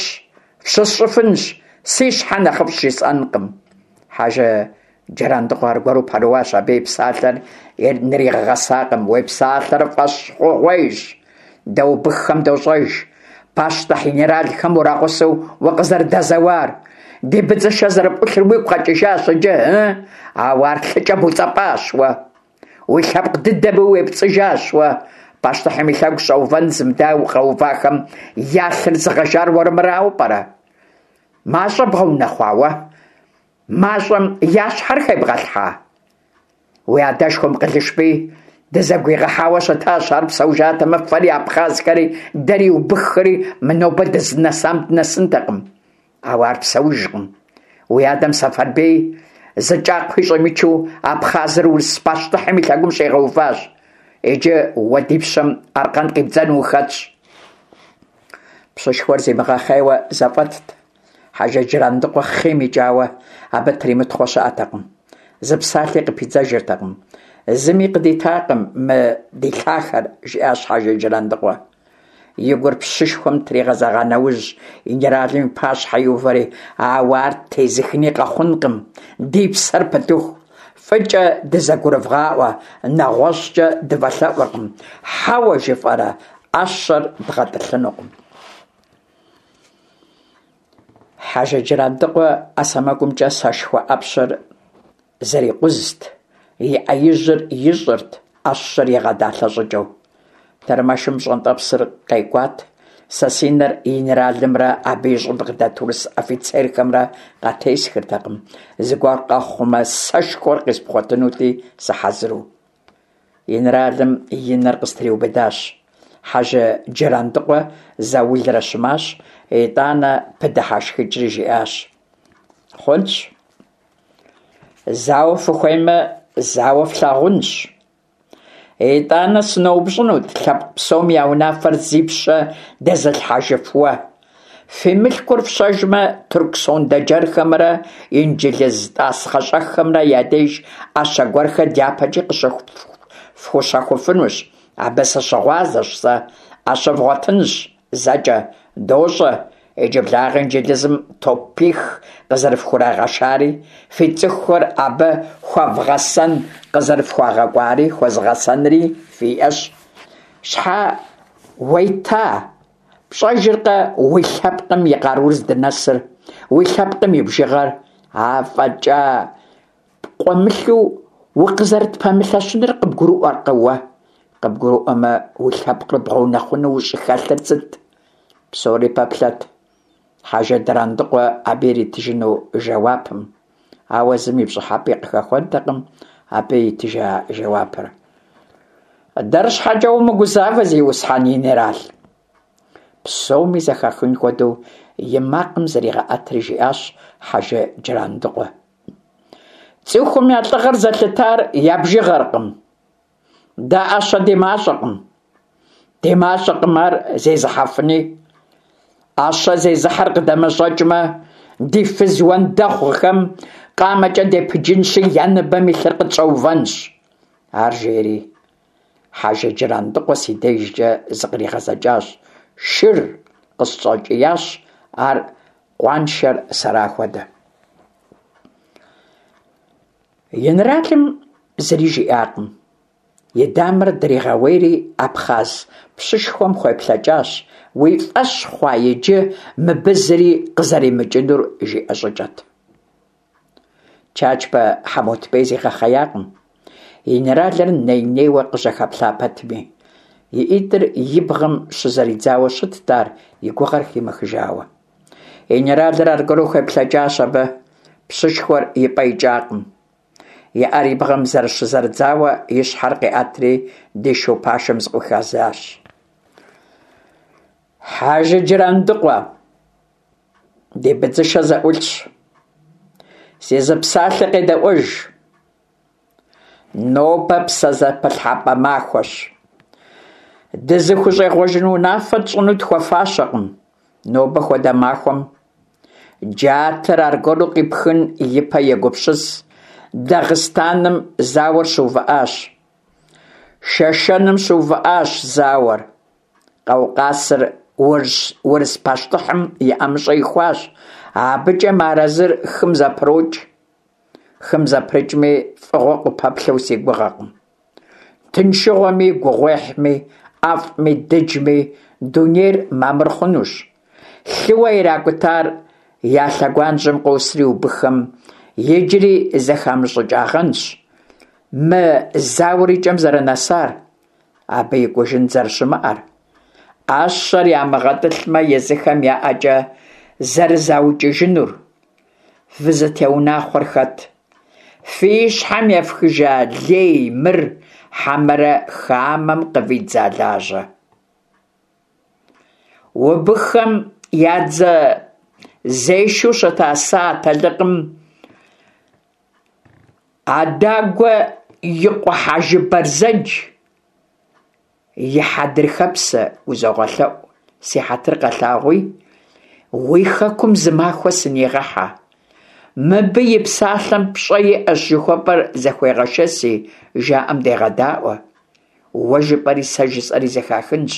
S1: фщысщӏыфынщ, си щхьэ нэхъыфӏщ жысӏэнкъым. Хьэжы Джырандыкъуэ аргуэру пэрыуащ, абы и псалъэр нригъэгъэсакъым. Уи псалъэр фӏэщ хъугъуейщ, дэ убыххэм дощӏэж, пащтыхь инэралхэм урагъусэу укъызэрыдэзэуар. Ди быдзышэ зэрыпӏулъыр уигу къэкӏыжащ иджы, ы? Ауэ ар лъыкӏэ буцӏэпӏащ уэ. Уи лъэпкъ дыдэми уепцӏыжащ уэ. Пащтыхьым и лъэгу щӏэувэн зымыдауэ къэувахэм я лъыр зыгъэжар уэрмырауэ пӏэрэ? Мащӏэ бгъэунэхъуа уэ? Мащӏэм я щхьэр хебгъэлъхьа? Уи адэшхуэм Къылышбий дызэгуигъэхьауэ щытащ, ар псэужатэмэ, фэри абхъазхэри, дэри убыххэри мы нобэ дызынэсам дынэсынтэкъым. Ауэ ар псэужкъым. Уи адэм Сэфарбий зы кӏакхъуи щӏимычу Абхъазыр урыс пащтыхьым и лъэгум щӏигъэуващ. Иджы уэ ди пщэм аркъэн къибдзэну ухэтщ. Пщышхуэр зимыгъэхъейуэ зэфӏэтт. Хьэжы Джырандыкъуэ хъийм икӏауэ абы тримытхъуэ щыӏэтэкъым. Зы псалъи къыпидзэжыртэкъым. Зыми къыдитакъым мы ди лъахэр, жиӏащ Хьэжы Джырандыкъуэ. И гур пщышхуэм тригъэзэгъа нэужь, инэралым и пащхьэ иувэри, ауэ ар тезыхыни къэхъункъым, ди псэр пытыху. ФӀыкӀэ дызэгурывгъаӀуэ, нэгъуэщӀкӀэ дывэлъэӀуркъым. Хьэуэ жыфӀэрэ, Ӏэщэр дгъэтӀылъынукъым. Хьэжы Джырандыкъуэ Ӏэ сэмэгумкӀэ сэшхуэ Ӏэпщэр зэрикъузт, и Ӏэ ижьыр ищӀырт, Ӏэщэр игъэдалъэ щӀыкӀэу. Тэрмэшым пщӀэнтӀэпсыр къекӀуат. Сэ си нэр инэралымрэ абы и щӀыб къыдэт урыс офицерхэмрэ къатесхыртэкъым. Зыгуэр къэхъумэ, сэшхуэр къиспхъуэтынути, сыхьэзыру. Инэралым и нэр къыстриубыдащ. Хьэжы Джырандыкъуэ заулрэ щымащ, итӀанэ пыдыхьэшхыкӀри жиӀащ: Хъунщ, зауэ фыхуеймэ, зауэ флъагъунщ. ИтӀанэ сыноупщӀынут лъэпкъ псом я унафэр зи пщэ дэзылъхьэжыф уэ. Фи мылъкур фщэжмэ, тырку сондэджэрхэмрэ инджылыз тӀасхъэщӀэххэмрэ я деж Ӏэщэ гуэрхэр дяпэкӀи къыщыфхущэхуфынущ. Абы сыщыгъуазэщ сэ. Ӏэщэ вгъуэтынщ зэкӀэ, дощӀэ. Иджыблагъэ инджылызым топих къызэрыфхурагъэшари, фи цӀыхухэр абы хуэвгъэсэн къызэрыфхуагъэкӀуари, хуэзгъэсэнри фиӀэщ. Щхьэ уета? ПщӀэжыркъэ уи лъэпкъым и къарур здынэсыр, уи лъэпкъым и бжыгъэр? АфӀэкӀа пкъуэмылъу укъызэрытпэмылъэщынур къыбгурыӀуэркъэ уэ? КъыбгурыӀуэмэ, уи лъэпкъыр бгъэунэхъуну ущӀыхэлъыр сыт? Псори пэплъэрт Хьэжы Джырандыкъуэ абы иритыжыну жэуапым, ауэ зым и пщӀыхьэпӀи къыхэхуэнтэкъым абы итыжа жэуапыр. Дэр щхьэкӀэ умыгузавэ, зиусхьэн инэрал! Псоми зэхахын хуэдэу и макъым зригъэӀэтри жиӀащ Хьэжы Джырандыкъуэ. ЦӀыхум я лӀыгъэр зэлъытар я бжыгъэркъым. Дэ Ӏэщэ ди мащӀэкъым, ди мащӀэкъым ар зезыхьэфыни. Ӏэщэ зезыхьэр къыдэмэщӀэкӀмэ, ди фыз уэндэгъухэм къамэкӀэ депыджынщи, я ныбэм илъыр къытщӀэувэнщ. Ар жери, Хьэжы Джырандыкъуэ си дежкӀэ зыкъригъэзэкӀащ. «Шыр!» – къысщӀэкӀиящ, ар къуаншэр сэра хуэдэ. Инэралым зыри жиӀакъым. И дамэр дригъэуейри, абхъаз пщышхуэм хуеплъэкӀащ, уи фӀэщ хъуа иджы мыбы зыри къызэримыкӀынур, жиӀэ щӀыкӀэт. Чачбэ Хьэмутбей зигъэхъеякъым, инэралыр ней-нейуэ къыжьэхэплъа пэтми. И ӀитӀыр и бгъэм щызэридзауэ щытт ар, и гугъэр химыхыжауэ. Инэралыр аргуэру хуеплъэкӀащ абы. Пщышхуэр и пӀэ икӀакъым. И Ӏэр и бгъэм зэрыщызэрыдзауэ, и щхьэр къиӀэтри, ди шу пашэм зыкъыхуигъэзащ. Хьэжы Джырандыкъуэ, ди быдзышэ зэӀулъщ, си зы псалъэ къедэӀуэж. Нобэ псэзэпылъхьэпӀэ махуэщ. ДызыхущӀегъуэжын унафэ тщӀыну тхуэфащэкъым. Нобэ хуэдэ махуэм джатэр аргуэру къипхын и пэ егупсыс. Дагъыстаным зауэр щыувыӀащ. Шэшэным щыувыӀащ зауэр. Къаукъазыр урыс пащтыхьым и ӀэмыщӀэ ихуащ. АбыкӀэ мыарэзыр хым зэпрокӀ. Хым зэпрыкӀми, фӀыгъуэ къыпэплъэу си гугъэкъым. Тыншыгъуэми, гугъуехьми, ӀэфӀми, дыджми дунейр мамыр хъунущ. Лъыуэ иракӀутар я лъэгуажьэм къосри убыххэм иджыри зэхамыщӀыкӀагъэнщ мы зауэр и кӀэм зэрынэсар, абы икӀужын зэрыщымыӀэр. Ӏэщэр ямыгъэтӀылъмэ, езыхэм я ӀэкӀэ зэрызаукӀыжынур. Фызытеунахъуэр хэт? Фи щхьэм ефхыжа лей мыр, хьэмэрэ хамэм къывидза лажьэ? Убыххэм я дзэзешэу щыта сэ атэлыкъым Адагуэ и къуэ Хьэжы Бэрзэдж и хьэдрыхэпсэ узогъэлъэӀу, си хьэтыр къэлъагъуи, уи хэкум зы махуэ сынигъэхьэ. Мыбы и псалъэм пщӀэ иӀэщ жыхуэпӀэр зэхуегъэшэси, жаӀэм дегъэдаӀуэ. Уэ жыпӀэри сэ жысӀэри зэхахынщ.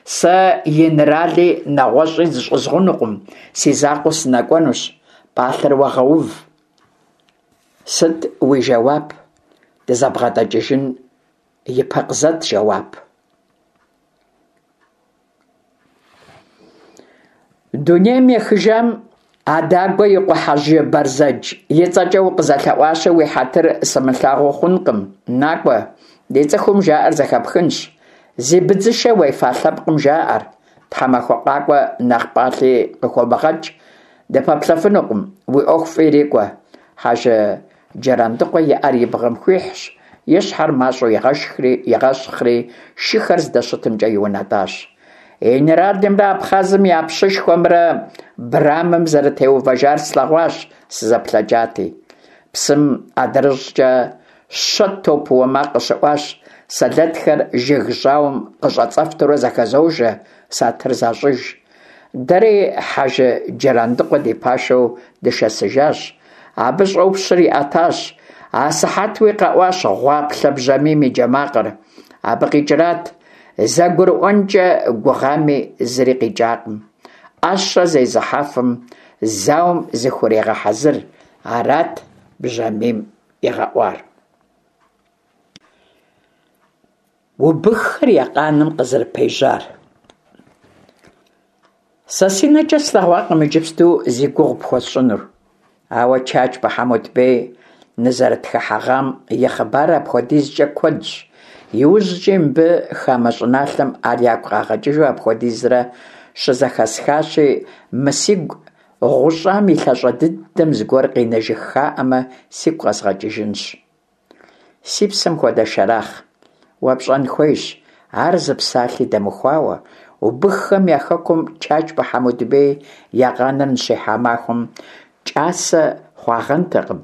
S1: Сэ инэрали нэгъуэщӀи зыщӀызгъунукъым, си закъуэу сынэкӀуэнущ. ПӀалъэр уэ гъэув. Сыт уи жэуап? ДызэбгъэдэкӀыжын и пэ къызэт жэуап. Дунейм ехыжам Адагуэ и къуэ Хьэжы Бэрзэдж и цӀэкӀэ укъызэлъэӀуащи, уи хьэтыр сымылъагъуу хъункъым. НакӀуэ, ди цӀыхум жаӀэр зэхэпхынщ. Зи быдзышэ уефа лъэпкъым жаӀэр. Тхьэмахуэ къакӀуэ нэхъ пӀалъи къыхомыгъэкӀ, дыпэплъэфынукъым. Уи Ӏуэху фӀы ирикӀуэ. Хьэжы Джырандыкъуэ и Ӏэр и бгъэм хуихьщ, и щхьэр мащӀэу игъэщхъри, шыхэр здэщытымкӀэ иунэтӀащ. Инэралымрэ Абхъазым я пщышхуэмрэ брамэм зэрытеувэжар слъэгъуащ, сызэплъэкӀати. Псым адрыщӀкӀэ щэ топыуэ макъ къыщыӀуащ, сэлэтхэр жыг жьауэм къыщӀэцӀэфтурэ зэхэзожэ, сатыр защӀыж. Дэри Хьэжы Джырандыкъуэ ди пашэу дышэсыжащ. Абы щӀопщыр иӀэтащ. Асыхьэтуи къэӀуащ гъуаплъэ бжьамийм и джэ макъыр. Абы къикӀрат, зэгурыӀуэнкӀэ гугъами, зыри къикӀакъым. Ӏэщэ зезыхьэфым зауэм зыхурегъэхьэзыр, арат бжьамийм игъэӀуар. Убыххэр я къаным къызэрыпежьар. Сэ си нэкӀэ слъэгъуакъым иджыпсту зи гугъу пхуэсщӀынур. Ауэ Чачбэ Хьэмутбей нызэрытхыхьэгъам и хъыбарыр апхуэдизкӏэ куэдщ, иужькӏи мыбы хамэ щӏыналъэм ар ягу къагъэкӏыжу апхуэдизрэ щызэхэсхащи, мы сигу гъущӏам и лъащӏэ дыдэм зыгуэр къинэжыххаӏамэ, сигу къэзгъэкӏыжынщ. Си псэм хуэдэ Шэрэхъ, уэ пщӏэн хуейщ, ар зы псалъи дэмыхуауэ, убыххэм я хэкум Чачбэ Хьэмутбей я къаныр ныщихьа махуэм кӏасэ хъуагъэнтэкъым,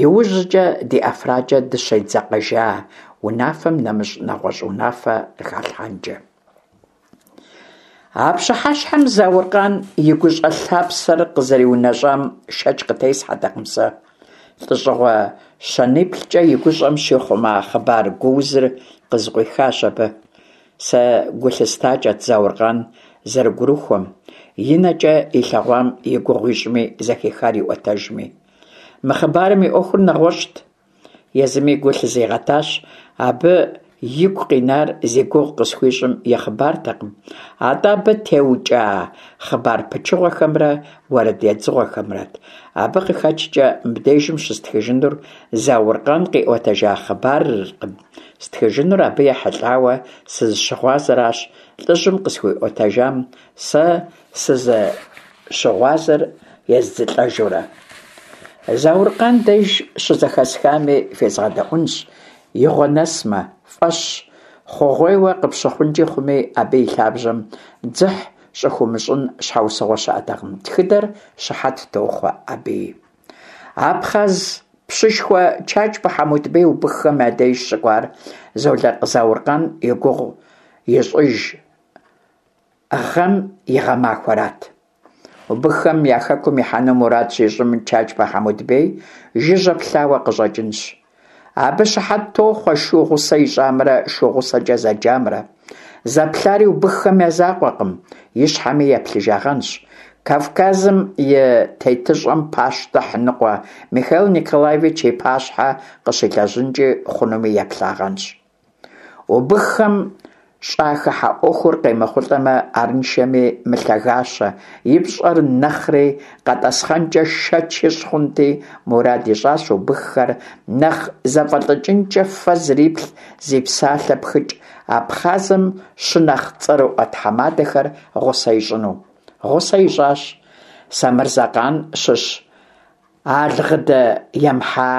S1: иужькӏэ ди ӏэфракӏэ дыщедзэкъэжа унафэм нэмыщӏ нэгъуэщӏ унафэ къыхалъхьэнкӏэ. А пщыхьэщхьэм Зауркъан и гущӏэ лъапсэр къызэриунэщӏам шэч къытесхьэтэкъым сэ. ЛӀэщӀыгъуэ щэниплӏкӏэ и гущӏэм щихъума хъыбар гуузыр къызыкъуихащ абы. Сэ гу лъыстакӏэт Зауркъан зэрыгурыхуэм, и нэкӏэ илъэгъуам и гугъу ищӏми, зэхихар иӏуэтэжми. Мы хъыбарым и ӏуэхур нэгъуэщӏт. Езыми гу лъызигъэтащ, абы игу къинар зи гугъу къысхуищӏым и хъыбартэкъым, атӏэ абы теукӏа хъыбар пычыгъуэхэмрэ уэрэд едзыгъуэхэмрэт. Абы къыхэкӏкӏэ мыбдежым щыстхыжынур Зауркъан къиӏуэтэжа хъыбарыркъым, стхыжынур абы ехьэлӏауэ сызыщыгъуазэращ, лӏыжьым къысхуиӏуэтэжам сэ сызыщыгъуазэр ездзылӏэжурэ. Зауркъан деж щызэхэсхами фезгъэдэӏуэнщ, игъуэ нэсмэ, фӏэщ хъугъуейуэ къыпщыхъункӏи хъуми, абы и лъабжьэм дзыхь щӏыхуумыщӏын щхьэусыгъуэ щыӏэтэкъым, тхыдэр щыхьэт тохъуэ абыи. Абхъаз пщышхуэ Чачбэ Хьэмутбей убыххэм я деж щыкӏуар Золакъ Зауркъан и гугъу ищӏыж гъэм и гъэмахуэрат. Убыххэм я хэкум ихьэну мурад щищӏым Чачбэ Хьэмутбей жыжьэ плъауэ къыщӏэкӏынщ. Абы щыхьэт тохъуэ шу гъусэ ищӏамрэ шу гъусэкӏэ зэджамрэ. Зэплъари убыххэм я закъуэкъым, и щхьэми еплъыжагъэнщ. Кавказым и тетыщӏэм пащтыхь ныкъуэ Михаил Николаевич и пащхьэ къыщилэжьынкӏи хъунуми еплъагъэнщ. Убыххэм щӏахыхьэ ӏуэхур къемыхъулӏэмэ, арыншэми мылъагащэ и пщӏэр нэхъри къэтӏэсхъэнкӏэ шэч ищӏ хъунти, мурад ищӏащ убыххэр нэхъ зэфӏэлӏыкӏынкӏэ фэ зриплъ, зи псалъэ пхыкӏ Абхъазым щынэхъ цӏэрыӏуэ тхьэмадэхэр гъусэ ищӏыну. Гъусэ ищӏащ Самырзэкъан щыщ Алгъыдэ Емхьа,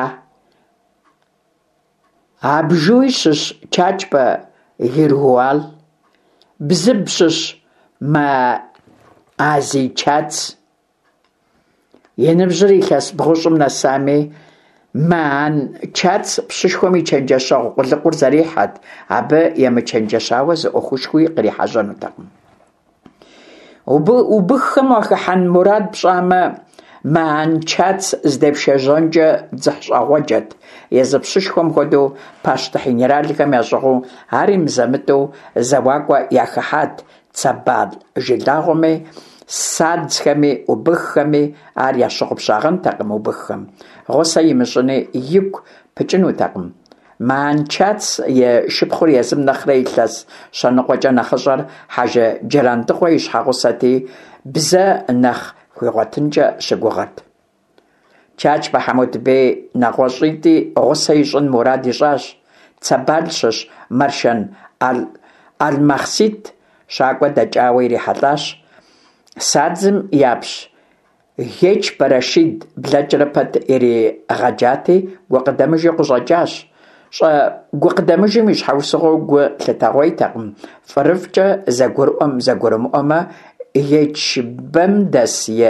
S1: Абжуй щыщ Чачбэ Гиргуал, Бзыб щыщ Маазий Чац. И ныбжьыр илъэс бгъущӏым нэсами, Маан Чац пщышхуэм и чэнджэщэгъу къулыкъур зэрихьэрт, абы емычэнджэщауэ зы ӏуэхушхуи кърихьэжьэнутэкъым. Убыххэм уахыхьэн мурад пщӏамэ, Маан Чац здепшэжьэнкӏэ дзыхьщӏыгъуэджэт. Езы пщышхуэм хуэдэу пащтыхь генералхэм ящӏыгъуу ари мызэ-мытӏэу зэуакӏуэ яхыхьат Цэбал жылагъуэми, садзхэми, убыххэми ар ящыгъупщагъэнтэкъым убыххэм. Гъусэ имыщӏыни игу пыкӏынутэкъым. Маан Чац и шыпхъур езым нэхърэ илъэс щэныкъуэкӏэ нэхъыщӏэр Хьэжы Джырандыкъуэ и щхьэгъусэти, бзэ нэхъ хуигъуэтынкӏэ щыгугъырт. Чачбэ Хьэмутбей нэгъуэщӏитӏи гъусэ ищӏын мурад ищӏащ. Цэбал щыщ Мэршэн Алмахсит щакӏуэ дэкӏауэ ирихьэлӏащ. Садзым япщ Гечбэ Рашид блэкӏрэ пэт иригъэджати, гукъыдэмыжу къыщӏэкӏащ. Щӏэгукъыдэмыжым и щхьэусыгъуэу гу лъытэгъуейтэкъым, фӏырыфӏкӏэ зэгурыӏуэм-зэгурымыӏуэмэ, Гечбэм дэс и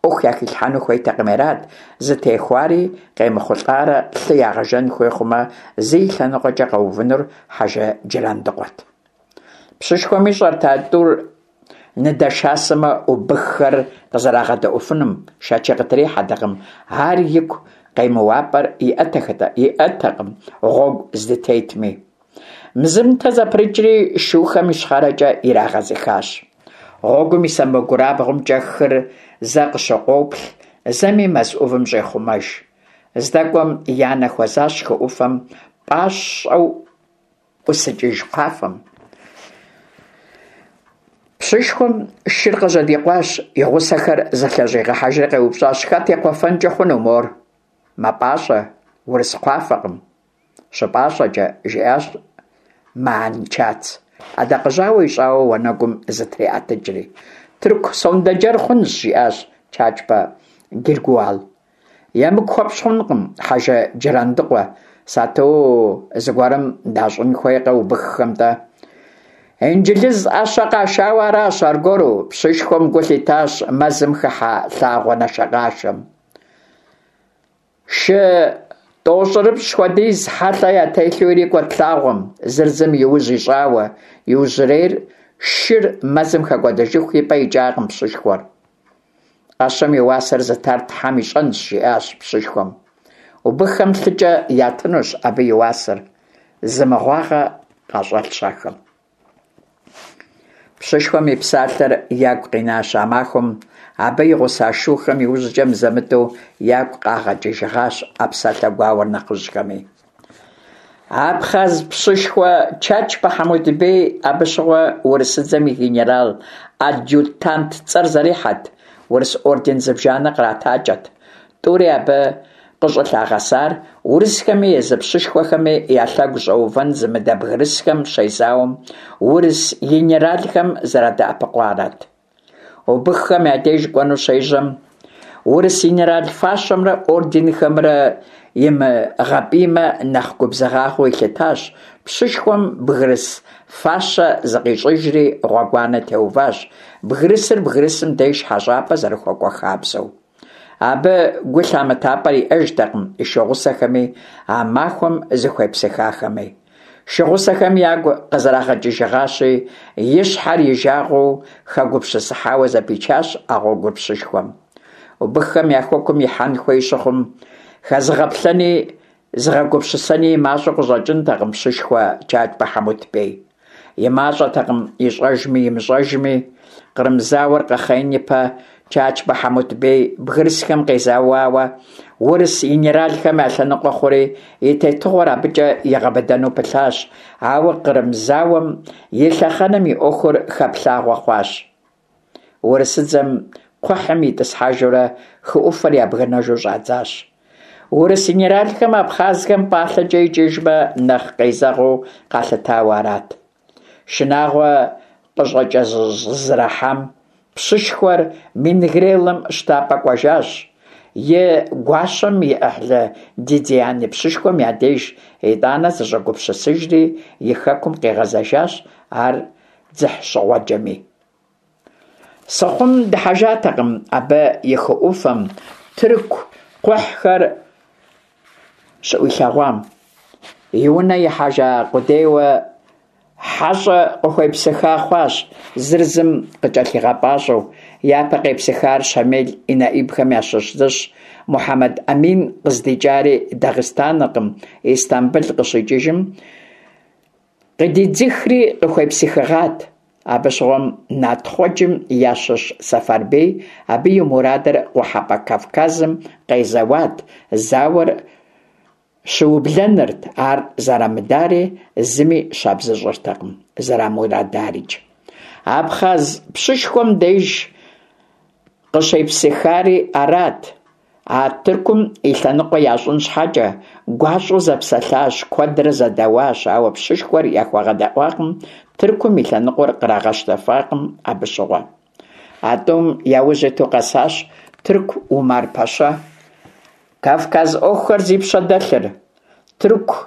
S1: ӏуэху яхилъхьэну хуейтэкъыми арат, зытехуари къемыхъулӏарэ лъы ягъэжэн хуей хъумэ, зы и лъэныкъуэкӏэ къэувынур Хьэжы Джырандыкъуэт. Пщышхуэм ищӏэрт а тӏур ныдэшасэмэ, убыххэр къызэрагъэдэӏуфынум, шэчи къытрихьэтэкъым, ар игу къемыуапӏэр иӏэтэкъым гъуэгу здытетми. Мзымтэ зэпрыкӏри шухэм ищхъэрэкӏэ ирагъэзыхащ. Гъуэгум и сэмэгурабгъумкӏэ хыр зэ къыщыкъуоплъ, зэми мэз ӏувым щӏехъумэж. Здэкӏуэм я нэ хуэзащ хы ӏуфэм пӏащӏэу ӏусыкӏыж кхъуафэм. Пщышхуэм шыр къыжьэдикъуащ, и гъусэхэр зэлъэщӀигъэхьэжри къеупщӀащ: «Хэт и кхъуэфэнкӀэ хъуну мор? МэпӀащӀэ, урыс кхъуафэкъым». «ЩыпӀащӀэкӀэ», – жиӀащ Маанчац, Ӏэдакъэжьауэ ищӀауэ уанэгум зытриӀэтыкӀри. «Тырку сондэджэр хъунщ», – жиӀащ Чачбэ Гергуал. «ЕмыкӀу хуэпщӀ хъунукъым хьэжы Джырандыкъуэ, сату зыгуэрым дащӀын хуейкъэ убыххэм-тӀэ?» Инджылыз Ӏэщэ къашауэ аращ аргуэру, пщышхуэм гу лъитащ мэзым хыхьэ лъагъуэ нашэкъашэм. Шы тӀощӀырыпщӀ хуэдиз хьэлъэ ятелъу ирикӀуэрт лъагъуэм, зыр зым и ужь ищӀауэ, иужьрей шыр мэзым хэкӀуэдэжыху и пӀэ икӀакъым пщышхуэр. «Ӏэщэм и уасэр зытар Тхьэм ищӀэнщ», – жиӀащ пщышхуэм. «Убыххэм лъыкӀэ ятынущ абы и уасэр, зы мыгъуагъэ къащӀэлъщ ахэм». Пщышхуэм и псалъэр ягу къинащ а махуэм абы и гъуса шухэм, иужькӀэ мызэ-мытӀэу ягу къагъэкӀыжыгъащ а псалъэ гуауэр нэхъыжьхэми. Абхъаз пщышхуэ Чачбэ Хьэмутбей абы щыгъуэ урысыдзэм и генерал-адъютант цӀэр зэрихьэрт, урыс орден зыбжанэ къратакӀэт. ТӀури абы къыщӀылъагъэсар урысхэми езы пщышхуэхэми я лъэгу щӀэувэн зымыдэ бгырысхэм щезауэм урыс генералхэм зэрадэӀэпыкъуарат. Убыххэм я деж кӀуэну щежьэм, урыс генерал фащэмрэ орденхэмрэ имыгъэпӀиймэ нэхъ губзыгъагъэу илъытащ пщышхуэм, бгырыс фащэ зыкъищӀыжри гъуэгуанэ теуващ, бгырысыр бгырысым деж хьэщӀапӀэ зэрыхуэкӀуэ хабзэу. Абы гу лъамытапӀэр иӀэжтэкъым и шу гъусэхэми, а махуэм зыхуепсыхахэми. Шу гъусэхэм ягу къызэрагъэкӀыжыгъащи, и щхьэр и жагъуэу хэгупсысыхьауэ зэпичащ а гъуэгур пщышхуэм. Убыххэм я хэкум ихьэн хуей щыхъум, хэзыгъэплъэни зыгъэгупсысэни и мащӀэу къыщӀэкӀынтэкъым пщышхуэ Чачбэ Хьэмутбей. И мащӀэтэкъым ищӀэжми имыщӀэжми, Кърым зауэр къэхъеин ипэ Чачбэ Хьэмутбей бгырысхэм къезэуауэ урыс генералхэм я лъэныкъуэ хъури, и тетыгъуэр абыкӀэ игъэбыдэну пылъащ, ауэ Кърым зауэм и лъэхъэнэм и Ӏуэхур хэплъагъуэ хъуащ. Урысыдзэм кхъухьым итӀысхьэжурэ хы Ӏуфэр ябгынэжу щӀадзащ. Урыс генералхэм абхъазхэм пӀалъэкӀэ икӀыжмэ, нэхъ къезэгъыу къалъытауэ арат. Шынагъуэ къыщӀыкӀэщӀызэрахьам пщышхуэр Мингрелым щтапӀэ кӀуэжащ, и гуащэм и Ӏыхьлы Дадиани пщышхуэм я деж, итӀанэ зыщӀэгупсысыжри и хэкум къигъэзэжащ, ар дзыхьщӀыгъуэджэми. Сыхъум дыхьэжатэкъым абы и хы Ӏуфэм тырку кхъухьхэр щыӀуилъэгъуам. И унэ ихьэжа къудейуэ хьэщӀэ къыхуепсыха хъуащ, зыр зым къыкӀэлъигъэпӀащӀэу. Япэ къепсыхар Щамел и нэӀибхэм ящыщ зыщ. Мухьэмэд-Ӏэмин къыздикӀари Дагъыстаныркъым, Истамбыл къыщикӀыжым къыдидзыхри къыхуепсыхыгъат. Абы щыгъуэм натхъуэджым ящыщ Сэфарбей абы и мурадыр КъухьэпӀэ Кавказым къезэуат зауэр щыублэнырт, ар зэрамыдари зыми щабзыщӀыртэкъым, зэрамурадарикӀ. Абхъаз пщышхуэм деж къыщепсыхари арат. Ар Тыркум и лъэныкъуэ ящӀын щхьэкӀэ, гуащӀэу зэпсэлъащ, куэдрэ зэдэуащ, ауэ пщышхуэр яхуэгъэдэӀуакъым, Тыркум и лъэныкъуэр кърагъэщтэфакъым абы щыгъуэ. А тӀум яужь иту къэсащ тырку Умар-пэщэ. Кавказ Ӏуэхухэр зи пщэ дэлъыр. Тырку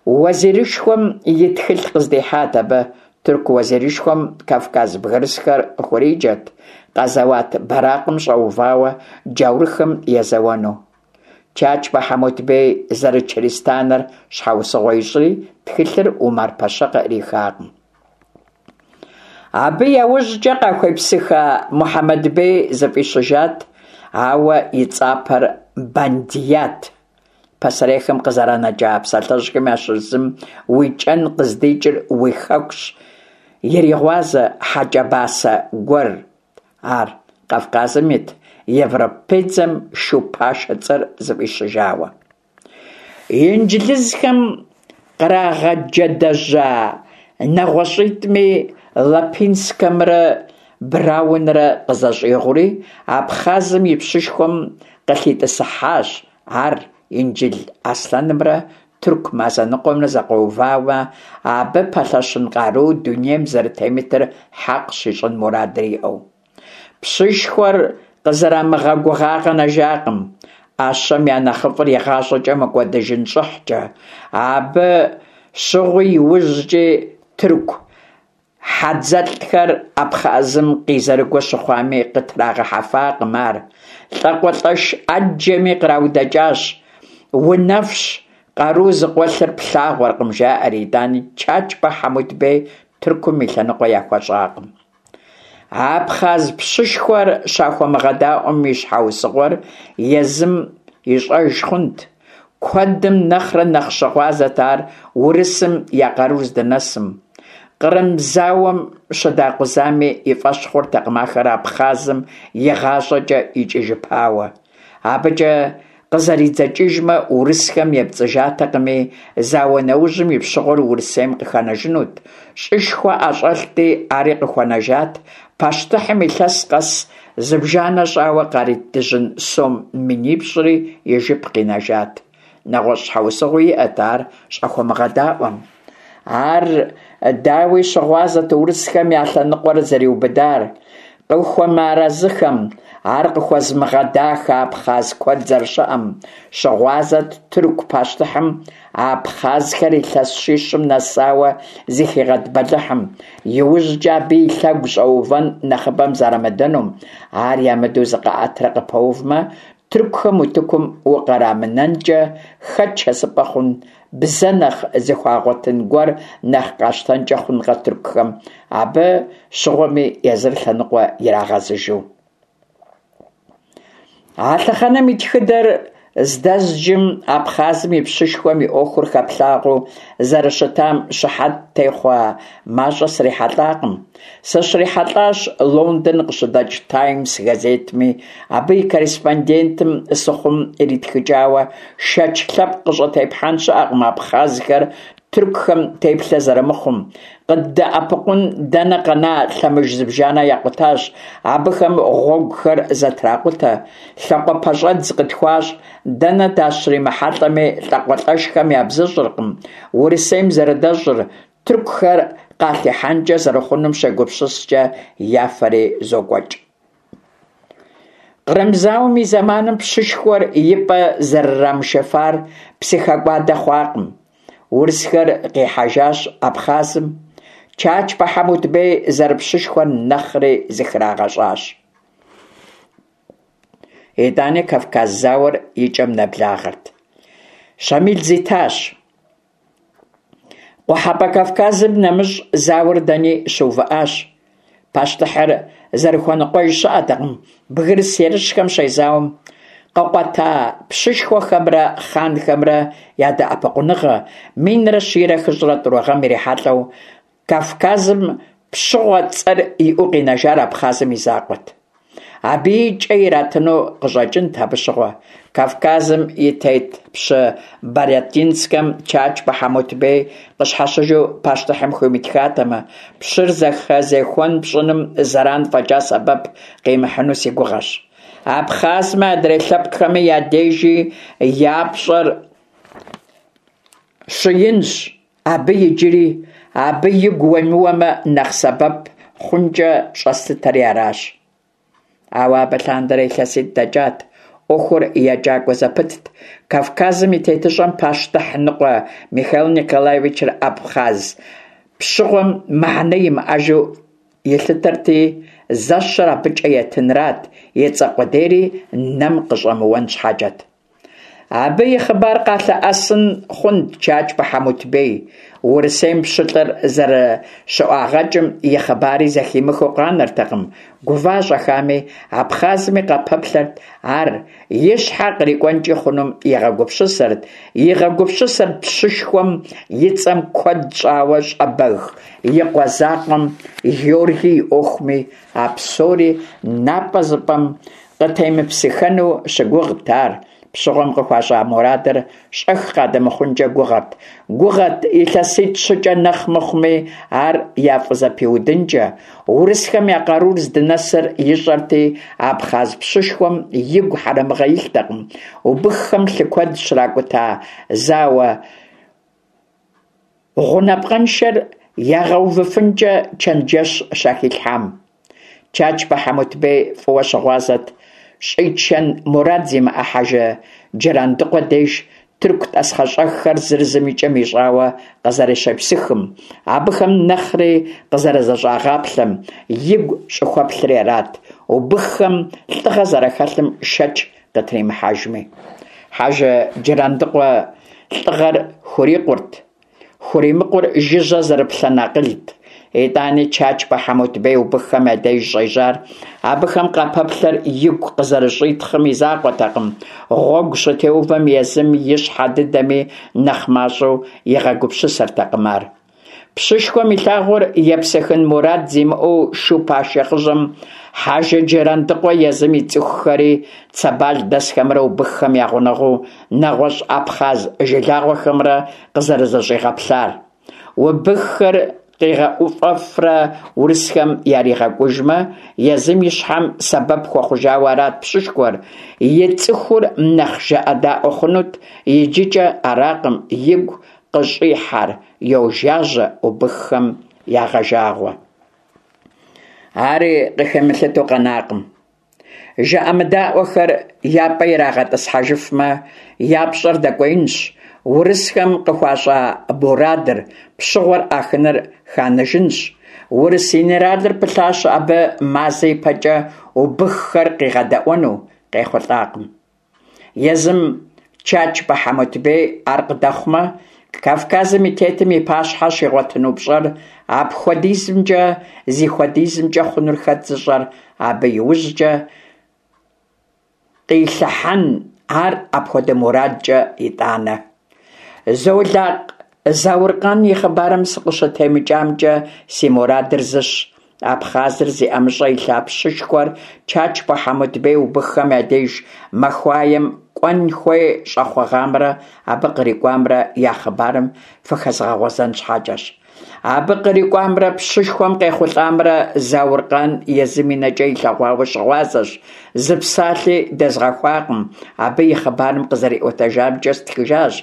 S1: уэзирышхуэм и тхылъ къыздихьат абы. Тырку уэзирышхуэм кавказ бгырысхэр къыхуриджэрт къэзэуат бэракъым щӀэувауэ джаурхэм езэуэну. Чачбэ Хьэмутбей зэрычыристаныр щхьэусыгъуэ ищӀри, тхылъыр Умар-пэщэ къыӀрихакъым. Абы яужькӀэ къахуепсыха Мухьэмэд-бей зыфӀищыжат, ауэ и цӀапэр Бандият. Пасэрейхэм къызэранэкӀа псалъэжьхэм ящыщ зым «Уи кӀэн къыздикӀыр уи хэкущ» иригъуазэ хьэкӀэбасэ гуэрт ар, Кавказым ит европейдзэм шу пашэ цӀэр зыфӀищыжауэ. Инджылызхэм кърагъэджэдэжьа нэгъуэщӀитӀми Лапинскэмрэ Браунрэ къызэщӏигъури, Абхъазым и пщышхуэм къылъитӏысыхьащ ар, Инджыл Аслъэнымрэ тырку мазэ ныкъуэмрэ зэкъуэувамэ, абы пэлъэщын къару дунейм зэрытемытыр хьэкъ щищӏын мурадыр иӏэу. Пщышхуэр къызэрамыгъэгугъа къэнэжакъым: ӏэщэм я нэхъыфӏыр игъащӏэкӏэ мыкӏуэдыжын щӏыхькӏэ. Абы щыгъуи иужькӏи тырку хьэдзэлӏхэр Абхъазым къизэрыгуэ щыхъуами, къытрагъэхьэфакъым ар. ЛӀакъуэлӏэш ӏэджэми къраудэкӏащ: «Унэфщ, къару зыкъуэлъыр плъагъуркъым», жаӏэри, итӏани Чачбэ Хьэмутбей Тыркум и лъэныкъуэ яхуэщӏакъым. Абхъаз пщышхуэр щӏахуэмыгъэдаӏуэм и щхьэусыгъуэр езым ищӏэж хъунт. Куэдым нэхърэ нэхъ щыгъуазэт ар урысым я къарур здынэсым. Кърым зауэм щыдакъузами, и фӏэщ хъуртэкъым ахэр Абхъазым игъащӏэкӏэ икӏыжыпауэ. Абыкӏэ къызэридзэкӏыжмэ, урысхэм епцӏыжатэкъыми, зауэ нэужьым и пщыгъуэр Урысейм къыхэнэжынут, щӏышхуэ ӏэщӏэлъти, ари къыхуэнэжат, пащтыхьым илъэс къэс зыбжанэ щӏауэ къарит дыжьын сом минипщӏри и жып къинэжат. Нэгъуэщӏ щхьэусыгъуи иӏэт ар щӏахуэмыгъэдаӏуэм. Ар, дауи, щыгъуазэт урысхэм я лъэныкъуэр зэриубыдар, къыхуэмыарэзыхэм, ар къыхуэзымыгъэдахэ абхъаз куэд зэрыщыӏэм, щыгъуазэт тырку пащтыхьым абхъазхэр илъэс щищым нэсауэ зыхигъэт бэлыхьым, иужькӏэ абы и лъэгу щӏэувэн нэхъыбэм зэрамыдэнум, ар ямыдэу зыкъаӏэтрэ къыпэувмэ, тыркухэм утыкум укърамынэнкӏэ хэт шэсыпӏэ хъун, бзэ нэхъ зыхуагъуэтын гуэр нэхъ къащтэнкӏэ хъункъэ тыркухэм, абы щыгъуэми езыр лъэныкъуэ ирагъэзыжу. А лъэхъэнэм и тхыдэр здэзджым Абхъазым и пщышхуэм и ӏуэхур хэплъагъуэу зэрыщытам щыхьэт техъуэ мащӏэ срихьэлӏакъым. Сыщрихьэлӏащ Лондон къыщыдэкӏ «Таймс» газетми, абы и корреспондентым Сыхъум иритхыкӏауэ шэч лъэпкъ къыщӏытепхьэн щыӏэкъым абхъазхэр тыркухэм теплъэ зэрымыхъум, къыддэӏэпыкъун дэнэ къэна лъэмыж зыбжанэ якъутащ, абыхэм гъуэгухэр зэтракъутэ, лъакъуэпэщӏэдз къытхуащӏ, дэнэ дащримыхьэлӏэми лӏакъуэлӏэшхэм ябзыщӏыркъым Урысейм зэрыдэщӏыр, тыркухэр къалъихьэнкӏэ зэрыхъунум щегупсыскӏэ я фэри зокӏуэкӏ. Кърым зауэм и зэманым пщышхуэр и пӏэ зэрырамышыфар псыхэкӏуадэ хъуакъым. Урысхэр къихьэжащ Абхъазым. Чачбэ Хьэмутбей зэрыпщышхуэр нэхъри зыхрагъэщӏащ. Итӏани Кавказ зауэр и кӏэм нэблагъэрт. Щамил зитащ. Къухьэпӏэ Кавказым нэмыщӏ зауэр дэни щыувыӏащ. Пащтыхьыр зэрыхуэныкъуэж щыӏэтэкъым бгырыс ерыщхэм щезауэм къыкъуэта пщышхуэхэмрэ хъанхэмрэ я дэӏэпыкъуныгъэ. Минрэ щийрэ хыщӏрэ тӏурэ гъэм ирихьэлӏэу Кавказым пщыгъуэ цӏэр иӏэу къинэжар Абхъазым и закъуэт. Абыи кӏэ иратыну къыщӏэкӏынт абы щыгъуэ. Кавказым и тет пщы Барятинскэм Чачбэ Хьэмутбей къыщхьэщыжу пащтыхьым хуимытхатэмэ, пщыр зэхэзехуэн пщӏыным зэран фӏэкӏа сэбэп къимыхьыну си гугъэщ. Абхъазми адрей лъэпкъхэми я дежи я пщӏэр щыинщ абы иджыри, абы игу уемыуэмэ, нэхъ сэбэп хъункӏэ щӏэслъытэри аращ. Ауэ абы лъандэрэ илъэситӏ дэкӏат, ӏуэхур екӏакӏуэ зэпытт. Кавказым и тетыщӏэм пащтыхь ныкъуэ Михаил Николаевичыр абхъаз пщыгъуэм мыхьэнэ имыӏэжу илъытэрти, зэщэр абы кӏэ етынрат, и цӏэ къудейри нэм къыщӏэмыуэн щхьэкӏэт. Абы и хъыбар къалъэӏэсын хъунт Чачбэ Хьэмутбей. Урысейм пщылӏыр зэрыщыӏуагъэкӏым и хъыбари зэхимыхыу къанэртэкъым. Гува-щӏэхами Абхъазми къапэплъэрт ар, и щхьэ кърикӏуэнкӏи хъунум игъэгупсысэрт, игъэгупсысэрт пщышхуэм и цӏэм куэд щӏауэ щӏэбэг и къуэ закъуэм Георгий и ӏуэхуми. А псори напӏэзыпӏэм къытемыпсыхэну щыгугът ар. Пщыгъуэм къыхуащӏа мурадыр щӏэх къадэмыхъункӏэ гугъэрт. Гугъэрт илъэситӏ-щыкӏэ нэхъ мыхъуми ар яфӏызэпиудынкӏэ. Урысхэм я къарур здынэсыр ищӏэрти, абхъаз пщышхуэм игу хьэрэмыгъэ илътэкъым, убыххэм лъы куэд щракӏута зауэ гъунапкъэншэр ягъэувыфынкӏэ чэнджэщ щахилъхьам. Чачбэ Хьэмутбей фӏыуэ щыгъуазэт щӏичэн мурад зимыӏэ Хьэжы Джырандыкъуэ деж тырку тӏасхъэщӏэххэр зыр зым и кӏэм ищӏауэ къызэрыщепсыхым, абыхэм нэхъри къызэрызэщӏагъаплъэм игу щӏыхуэплъри арат, убыххэм лӏыгъэ зэрахэлъым шэч къытримыхьэжми. Хьэжы Джырандыкъуэ лӏыгъэр хурикъурт, хуримыкъур жыжьэ зэрыплъэн акъылт. Итӏани Чачбэ Хьэмутбей убыххэм я деж щӏежьар абыхэм къапэплъэр игу къызэрыщӏитхъым и закъуэтэкъым, гъуэгу щытеувэм езым и щхьэ дыдэми нэхъ мащӏэу игъэгупсысэртэкъым ар. Пщышхуэм илъагъур епсыхын мурад зимыӏэу шу пашэ хъыжьэм Хьэжы Джырандыкъуэ езым и цӏыхухэри Цэбал дэсхэмрэ убыххэм я гъунэгъуу нэгъуэщӏ абхъаз жылагъуэхэмрэ къызэрызэщӏигъэплъар. Убыххэр къигъэӏуфэфрэ урысхэм яригъэкӏужмэ, езым и щхьэм сэбэп хуэхъужауэ арат пщышхуэр, и цӏыхур нэхъ жыӏэдаӏуэ хъунут, иджыкӏэ аракъым игу къыщӏихьэр, йожажьэ убыххэм ягъэжагъуэ. Ари къыхимылъытэу къэнакъым. Жыӏэмыдаӏуэхэр я пӏэ ирагъэтӏысхьэжыфмэ, я пщӏэр дэкӏуеинщ, урысхэм къыхуащӏа мурадыр, пщыгъуэр ӏахыныр ханыжынщ. Урыс инэралыр пылъащ абы мазэ ипэкӏэ убыххэр къигъэдэӏуэну, къехъулӏакъым. Езым Чачбэ Хьэмутбей ар къыдэхъумэ, Кавказым и тетым и пащхьэ щигъуэтыну пщӏэр апхуэдизымкӏэ зихуэдизынкӏэ хъунур хэт зыщӏэр, абы иужькӏэ къилъыхьэн ар апхуэдэ мурадкӏэ итӏанэ. Золакъ Зауркъан и хъыбарым сыкъыщытемыкӏамкӏэ си мурадыр зыщ: Абхъазыр зи ӏэмыщӏэ илъа пщышхуэр Чачбэ Хьэмутбей убыххэм я деж махуаем кӏуэн хуей щӏэхъугъамрэ абы кърикӏуамрэ я хъыбарым фыхэзгъэгъуэзэн щхьэкӏэщ. Абы кърикӏуамрэ пщышхуэм къехъулӏамрэ Зауркъан езым и нэкӏэ илъэгъуауэ щыгъуазэщ, зы псалъи дэзгъэхуакъым, абы и хъыбарым къызэриӏуэтэжамкӏэ стхыжащ.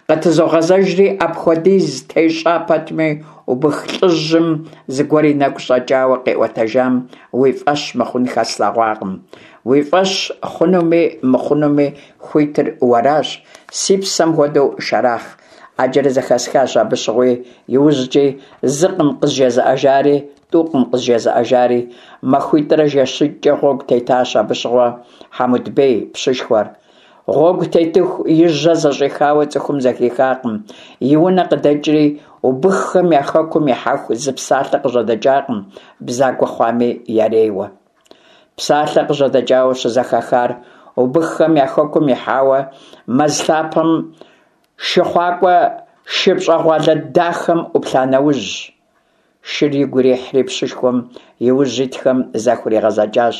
S1: Къытызогъэзэжри, апхуэдиз тещӏа пэтми, убых лӏыжьым зыгуэр и нэгу щӏэкӏауэ къиӏуэтэжам уи фӏэщ мыхъун хэслъэгъуакъым. Уи фӏэщ хъунуми мыхъунуми хуитыр уэращ, си псэм хуэдэу Шэрахъ. Ӏэджэрэ зэхэсхащ абы щыгъуи, иужькӏи, зыкъым къызжезыӏэжари, тӏукъым къызжезыӏэжари. Махуитӏрэ жэщитӏкӏэ гъуэгу тетащ абы щыгъуэ Хьэмутбей пщышхуэр. Гъуэгу тетыху и жьэ зэщӏихауэ цӏыхум зэхихакъым, и унэ къыдэкӏри убыххэм я хэкум ихьэху зы псалъэ къыжьэдэкӏакъым, бзагуэ хъуами ярейуэ. Псалъэ къыжьэдэкӏауэ щызэхахар убыххэм я хэкум ихьауэ мэз лъапэм шыхъуакӏуэ шы пщӏэгъуалэ дахэм ӏуплъа нэужь. Шыр игу ирихьри пщышхуэм и ужь итхэм захуригъэзэкӏащ,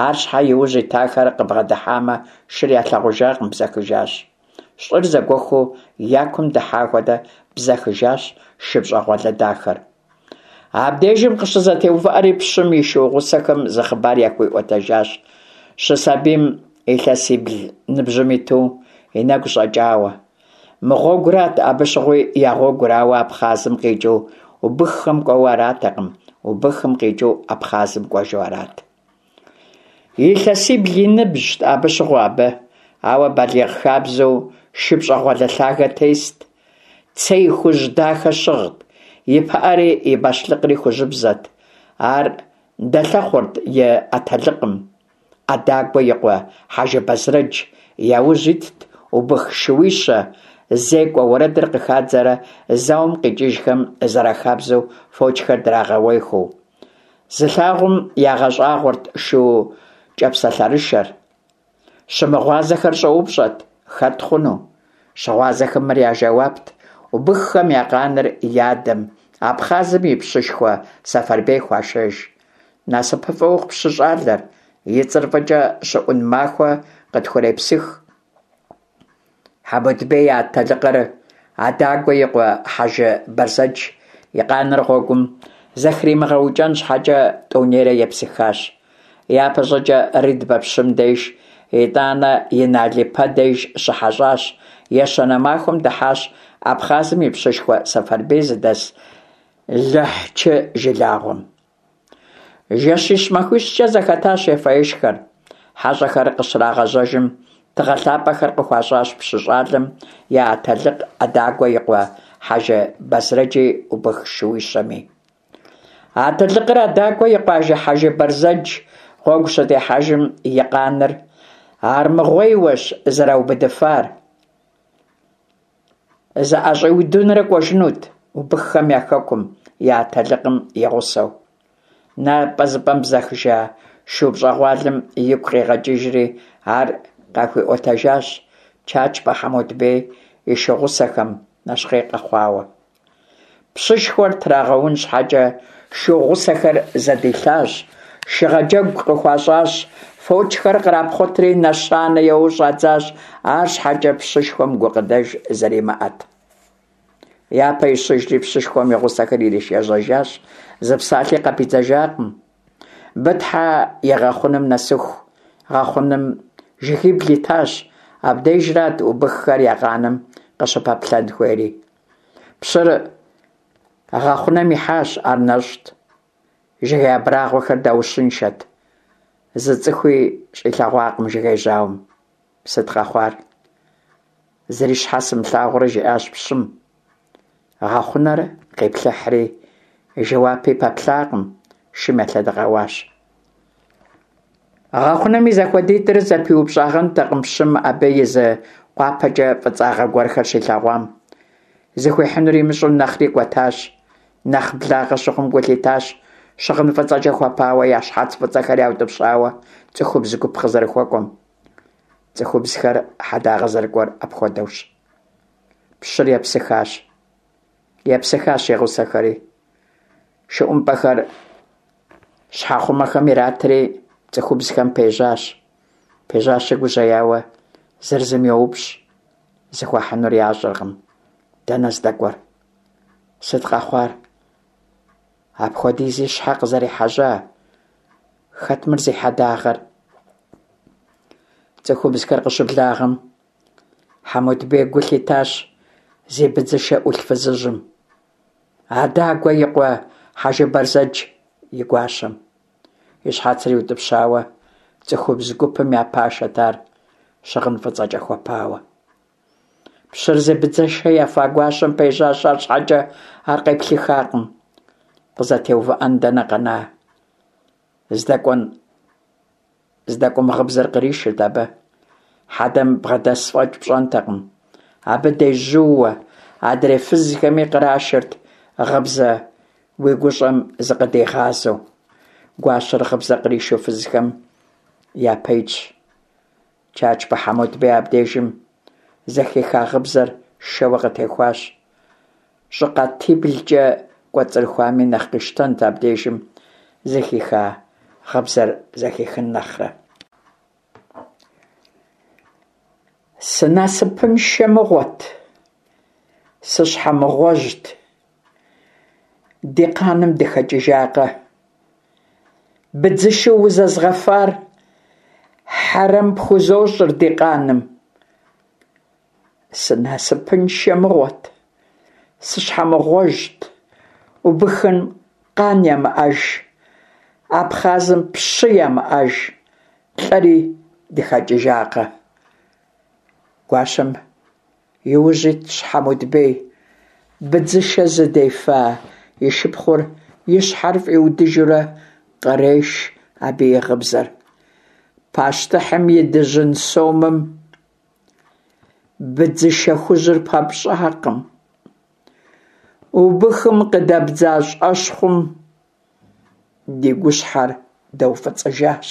S1: арщхьэ и ужь итахэр къыбгъэдыхьамэ, шыр ялъагъужакъым, бзэхыжащ. Щӏыр зэгуэхуу я кум дыхьа хуэдэ бзэхыжащ шы пщӏэгъуалэ дахэр. Абдежым къыщызэтеувыӏэри пщым и шу гъусэхэм зы хъыбар яхуиӏуэтэжащ, щысабийм илъэсибл ныбжьым иту и нэгу щӏэкӏауэ. Мы гъуэгурат абы щыгъуи я гъуэгур, ауэ Абхъазым къикӏыу убыххэм кӏуэуэ аратэкъым, убыхым къикӏыу Абхъазым кӏуэжу арат. Илъэсибл и ныбжьт абы щыгъуэ абы, ауэ балигъ хабзэу шы пщӏэгъуалэ лъагэ тест, цей хужь дахэ щыгът, и пыӏэри и бащлъыкъри хужьыбзэт. Ар дэлъэхъурт и атэлыкъым, Ӏэдагуэ и къуэ Хьэжы Бэзрэдж, я ужь итт убых шууищэ, зекӏуэ уэрэдыр къыхадзэрэ зауэм къикӏыжхэм зэрахабзэу фочхэр драгъэуехэу. Зылъагъум ягъэщӏагъуэрт шу кӏапсэлъэрышэр. Щымыгъуазэхэр щӏэупщӏэрт: хэт хъуну? Щыгъуазэхэм мыр я жэуапт: убыххэм я къаныр я адэм, Абхъазым и пщышхуэ Сэфарбей хуашэж. Насыпыфӏэ ухъу пщы щӏалэр, и цӏэр фӏыкӏэ щыӏун махуэ къытхурепсых. Хьэмутбей и атэлыкъыр Адагуэ и къуэ Хьэжы Бэрзэдж и къаныр гъуэгум зэхримыгъэукӀэн щхьэкӀэ тӀэунейрэ епсыхащ. ЯпэщӀыкӀэ Рыдбэ пщым деж, итӀанэ Инал-ипэ деж щыхьэщӀащ, ещанэ махуэм дыхьащ Абхъазым и пщышхуэ Сэфарбий зыдэс Лыхьчы жылагъуэм. Жэщищ-махуищкӀэ зэхэтащ ефэ-ешхэр. ХьэщӀэхэр къыщрагъэжьэжым, тыгъэ лъапӀэхэр къыхуащӀащ пщы щӀалэм я атэлыкъ Адагуэ и къуэ Хьэжы Бэзрэджи убых шууищэми. Атэлыкъыр Адагуэ и къуэ Хьэжы Бэрзэдж гъуэгу щытехьэжым и къаныр армыгъуейуэщ зэраубыдыфар. ЗыӀэщӀиудынурэ кӀуэжынут убыххэм я хэкум, я атэлыкъым и гъусэу. НапӀэзыпӀэм бзэхыжа шу пщӀэгъуалэм игу къигъэкӀыжри, ар къахуиӀуэтэжащ Чачбэ Хьэмутбей и шу гъусэхэм, нэщхъей къэхъуауэ. Пщышхуэр трагъэун щхьэкӀэ шу гъусэхэр зэдилъащ, шыгъэджэгу къыхуащӀащ, фочхэр кърапхъуэтри нэщанэ еуэу щӀадзащ, арщхьэкӀэ пщышхуэм гукъыдэж зэримыӀэт. Япэ ищыжри пщышхуэм и гъусэхэр иришэжьэжащ, зы псалъи къапидзыжакъым. Бытхьэ и гъэхъунэм нэсыху, гъэхъунэм жыгибл итащ, абдежрат убыххэр я къаным къыщыпэплъэн хуейри. Пщыр гъэхъунэм ихьащ, ар нэщӀт. Жыгей абрагъуэхэр даущыншэт. Зы цӀыхуи щӀилъэгъуакъым жыгей жьауэм. Сыт къэхъуар? Зыри щхьэ сымылъагъурэ, жиӀащ пщым. Гъэхъунэр къиплъыхьри, жэуапи пэплъакъым, шым елъэдэкъэуащ. Гъэхъунэм и зэхуэдитӀыр зэпиупщӀагъэнтэкъым пщым абы и зы къуапэкӀэ фӀыцӀагъэ гуэрхэр щилъэгъуам. Зыхуихьынур имыщӀэу нэхъри кӀуэтащ. Нэхъ благъэ щыхъум гу лъитащ щыгъын фӀыцӀэкӀэ хуэпауэ, я щхьэц фӀыцӀэхэр яутӀыпщауэ цӀыхубз гуп къызэрыхуэкӀуэм. ЦӀыхубзхэр хьэдагъэ зэрыкӀуэр апхуэдэущ. Пщыр епсыхащ. Епсыхащ и гъусэхэри. Шы ӀумпӀэхэр щхьэхъумэхэм иратри цӀыхубзхэм пежьащ. Пежьащи гужьеяуэ зыр зым йоупщӀ, зыхуахьынур ящӀэркъым. Дэнэ здэкӀуэр? Сыт къэхъуар? Апхуэдизи щхьэ къызэрехьэжьа? Хэт мыр зи хьэдагъэр? ЦӀыхубзхэр къыщыблагъэм, Хьэмутбей гу лъитащ зи быдзышэ Ӏулъ фызыжьым. Адагуэ и къуэ Хьэжы Бэрзэдж и гуащэм. И щхьэцыр иутӀыпщауэ цӀыхубз гупым я пашэт ар, щыгъын фӀыцӀэкӀэ хуэпауэ. Пщыр зи быдзышэ ефа гуащэм пежьащ, арщхьэкӀэ ар къеплъыхакъым. КъызэтеувыӀэн дэнэ къэна? ЗдэкӀуэн здэкӀуэм гъыбзэр къришырт абы. Хьэдэм бгъэдэс фӀэкӀ пщӀэнтэкъым. Абы дежьууэ, адрей фызхэми кърашырт гъыбзэ уи гущӀэм зыкъыдигъазэу. Гуащэр гъыбзэ къришу фызхэм япэ итщ. Чачбэ Хьэмутбей абдежым зэхиха гъыбзэр шэуэ къытехуащ. ЩӀыкъатиблкӀэ кӀуэцӀрыхуами нэхъ къищтэнт абдежым зэхиха гъыбзэр зэхихын нэхърэ. Сынасыпыншэ мыгъуэт, сыщхьэмыгъуэжьт, ди къаным дыхэкӀыжакъэ. Быдзышэу узэзгъэфар хьэрэм пхузощӀыр ди къаным. Сынасыпыншэ мыгъуэт, сыщхьэмыгъуэжьт, убыхым къан ямыӀэж, Абхъазым пщы ямыӀэж, лӀэри дыхэкӀыжакъэ. Гуащэм и ужь итщ Хьэмутбей. Быдзышэ зыдефа и шыпхъур и щхьэр фӀиудыжурэ къреш абы и гъыбзэр. Пащтыхьым и дыжьын сомым быдзышэ хужьыр пэпщӀакъым. Убыхым къыдэбдза щӀэщхъум ди гущхьэр дэуфӀыцӀыжащ.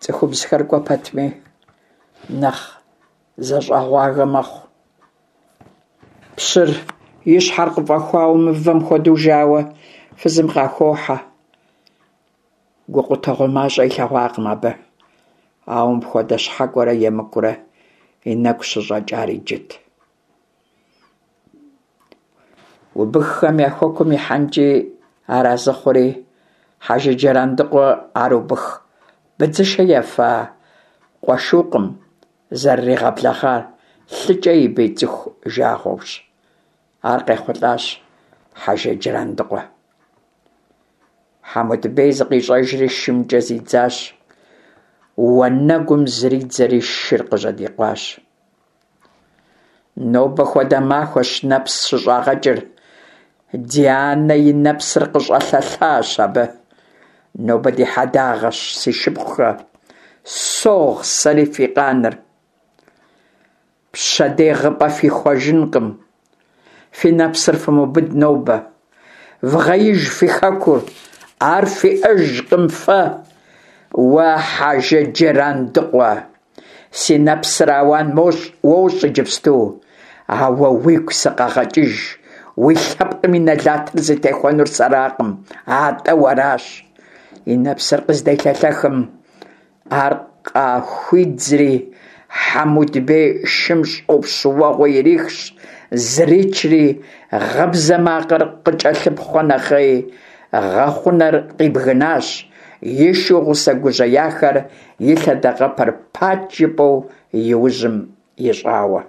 S1: ЦӀыхубзхэр кӀуэ пэтми нэхъ зэщӀэгъуагэ мэхъу. Пщыр и щхьэр къыфӀэхуауэ мывэм хуэдэу жауэ фызым къахохьэ. Гукъутэгъуэ мащӀэ илъэгъуакъым абы, ауэ мыпхуэдэ щхьэкӀуэрэ емыкӀурэ и нэгу щыщӀэкӀар иджыт. Убыххэм я хэкум ихьэнкӀи арэзы хъури, Хьэжы Джырандыкъуэ ар убых быдзышэ ефа къуэшукъым зэрыригъэблэгъар, лъыкӀэ и бий цӀыху жагъуэущ. Ар къехъулӀащ Хьэжы Джырандыкъуэ. Хьэмуд-бей зыкъищӀэжри шымкӀэ зидзащ, уанэгум зридзэри шыр къыжьэдикъуащ. Нобэ хуэдэ махуэщ нэпс щыщӀагъэкӀыр, Дианэ и нэпсыр къыщӀэлъэлъащ абы. Нобэ ди хьэдагъэщ, си шыпхъухэ, согъ сэри фи къаныр. Пщэдей гъыпӀэ фихуэжынкъым, фи нэпсыр фымыубыд нобэ. Вгъеиж фи хэкур, ар фиӀэжкъым фэ. Уэ, Хьэжы Джырандыкъуэ, си нэпсыр ауан уощӀ иджыпсту, ауэ уигу сыкъэгъэкӀыж, уи лъэпкъым и нэлатыр зытехуэнур сэракъым, атӀэ уэращ. И нэпсыр къызделъэлъэхым, ар къахуидзри, Хьэмуд-бей шым щӀопщ уэгъуэ ирихщ, зричри, гъыбзэ макъыр къыкӀэлъыпхъуэ нэхъей, гъэхъунэр къибгынащ, и шу гъусэ гужьеяхэр и лъэдакъэпэр пач жыпӀэу и ужьым ищӀауэ.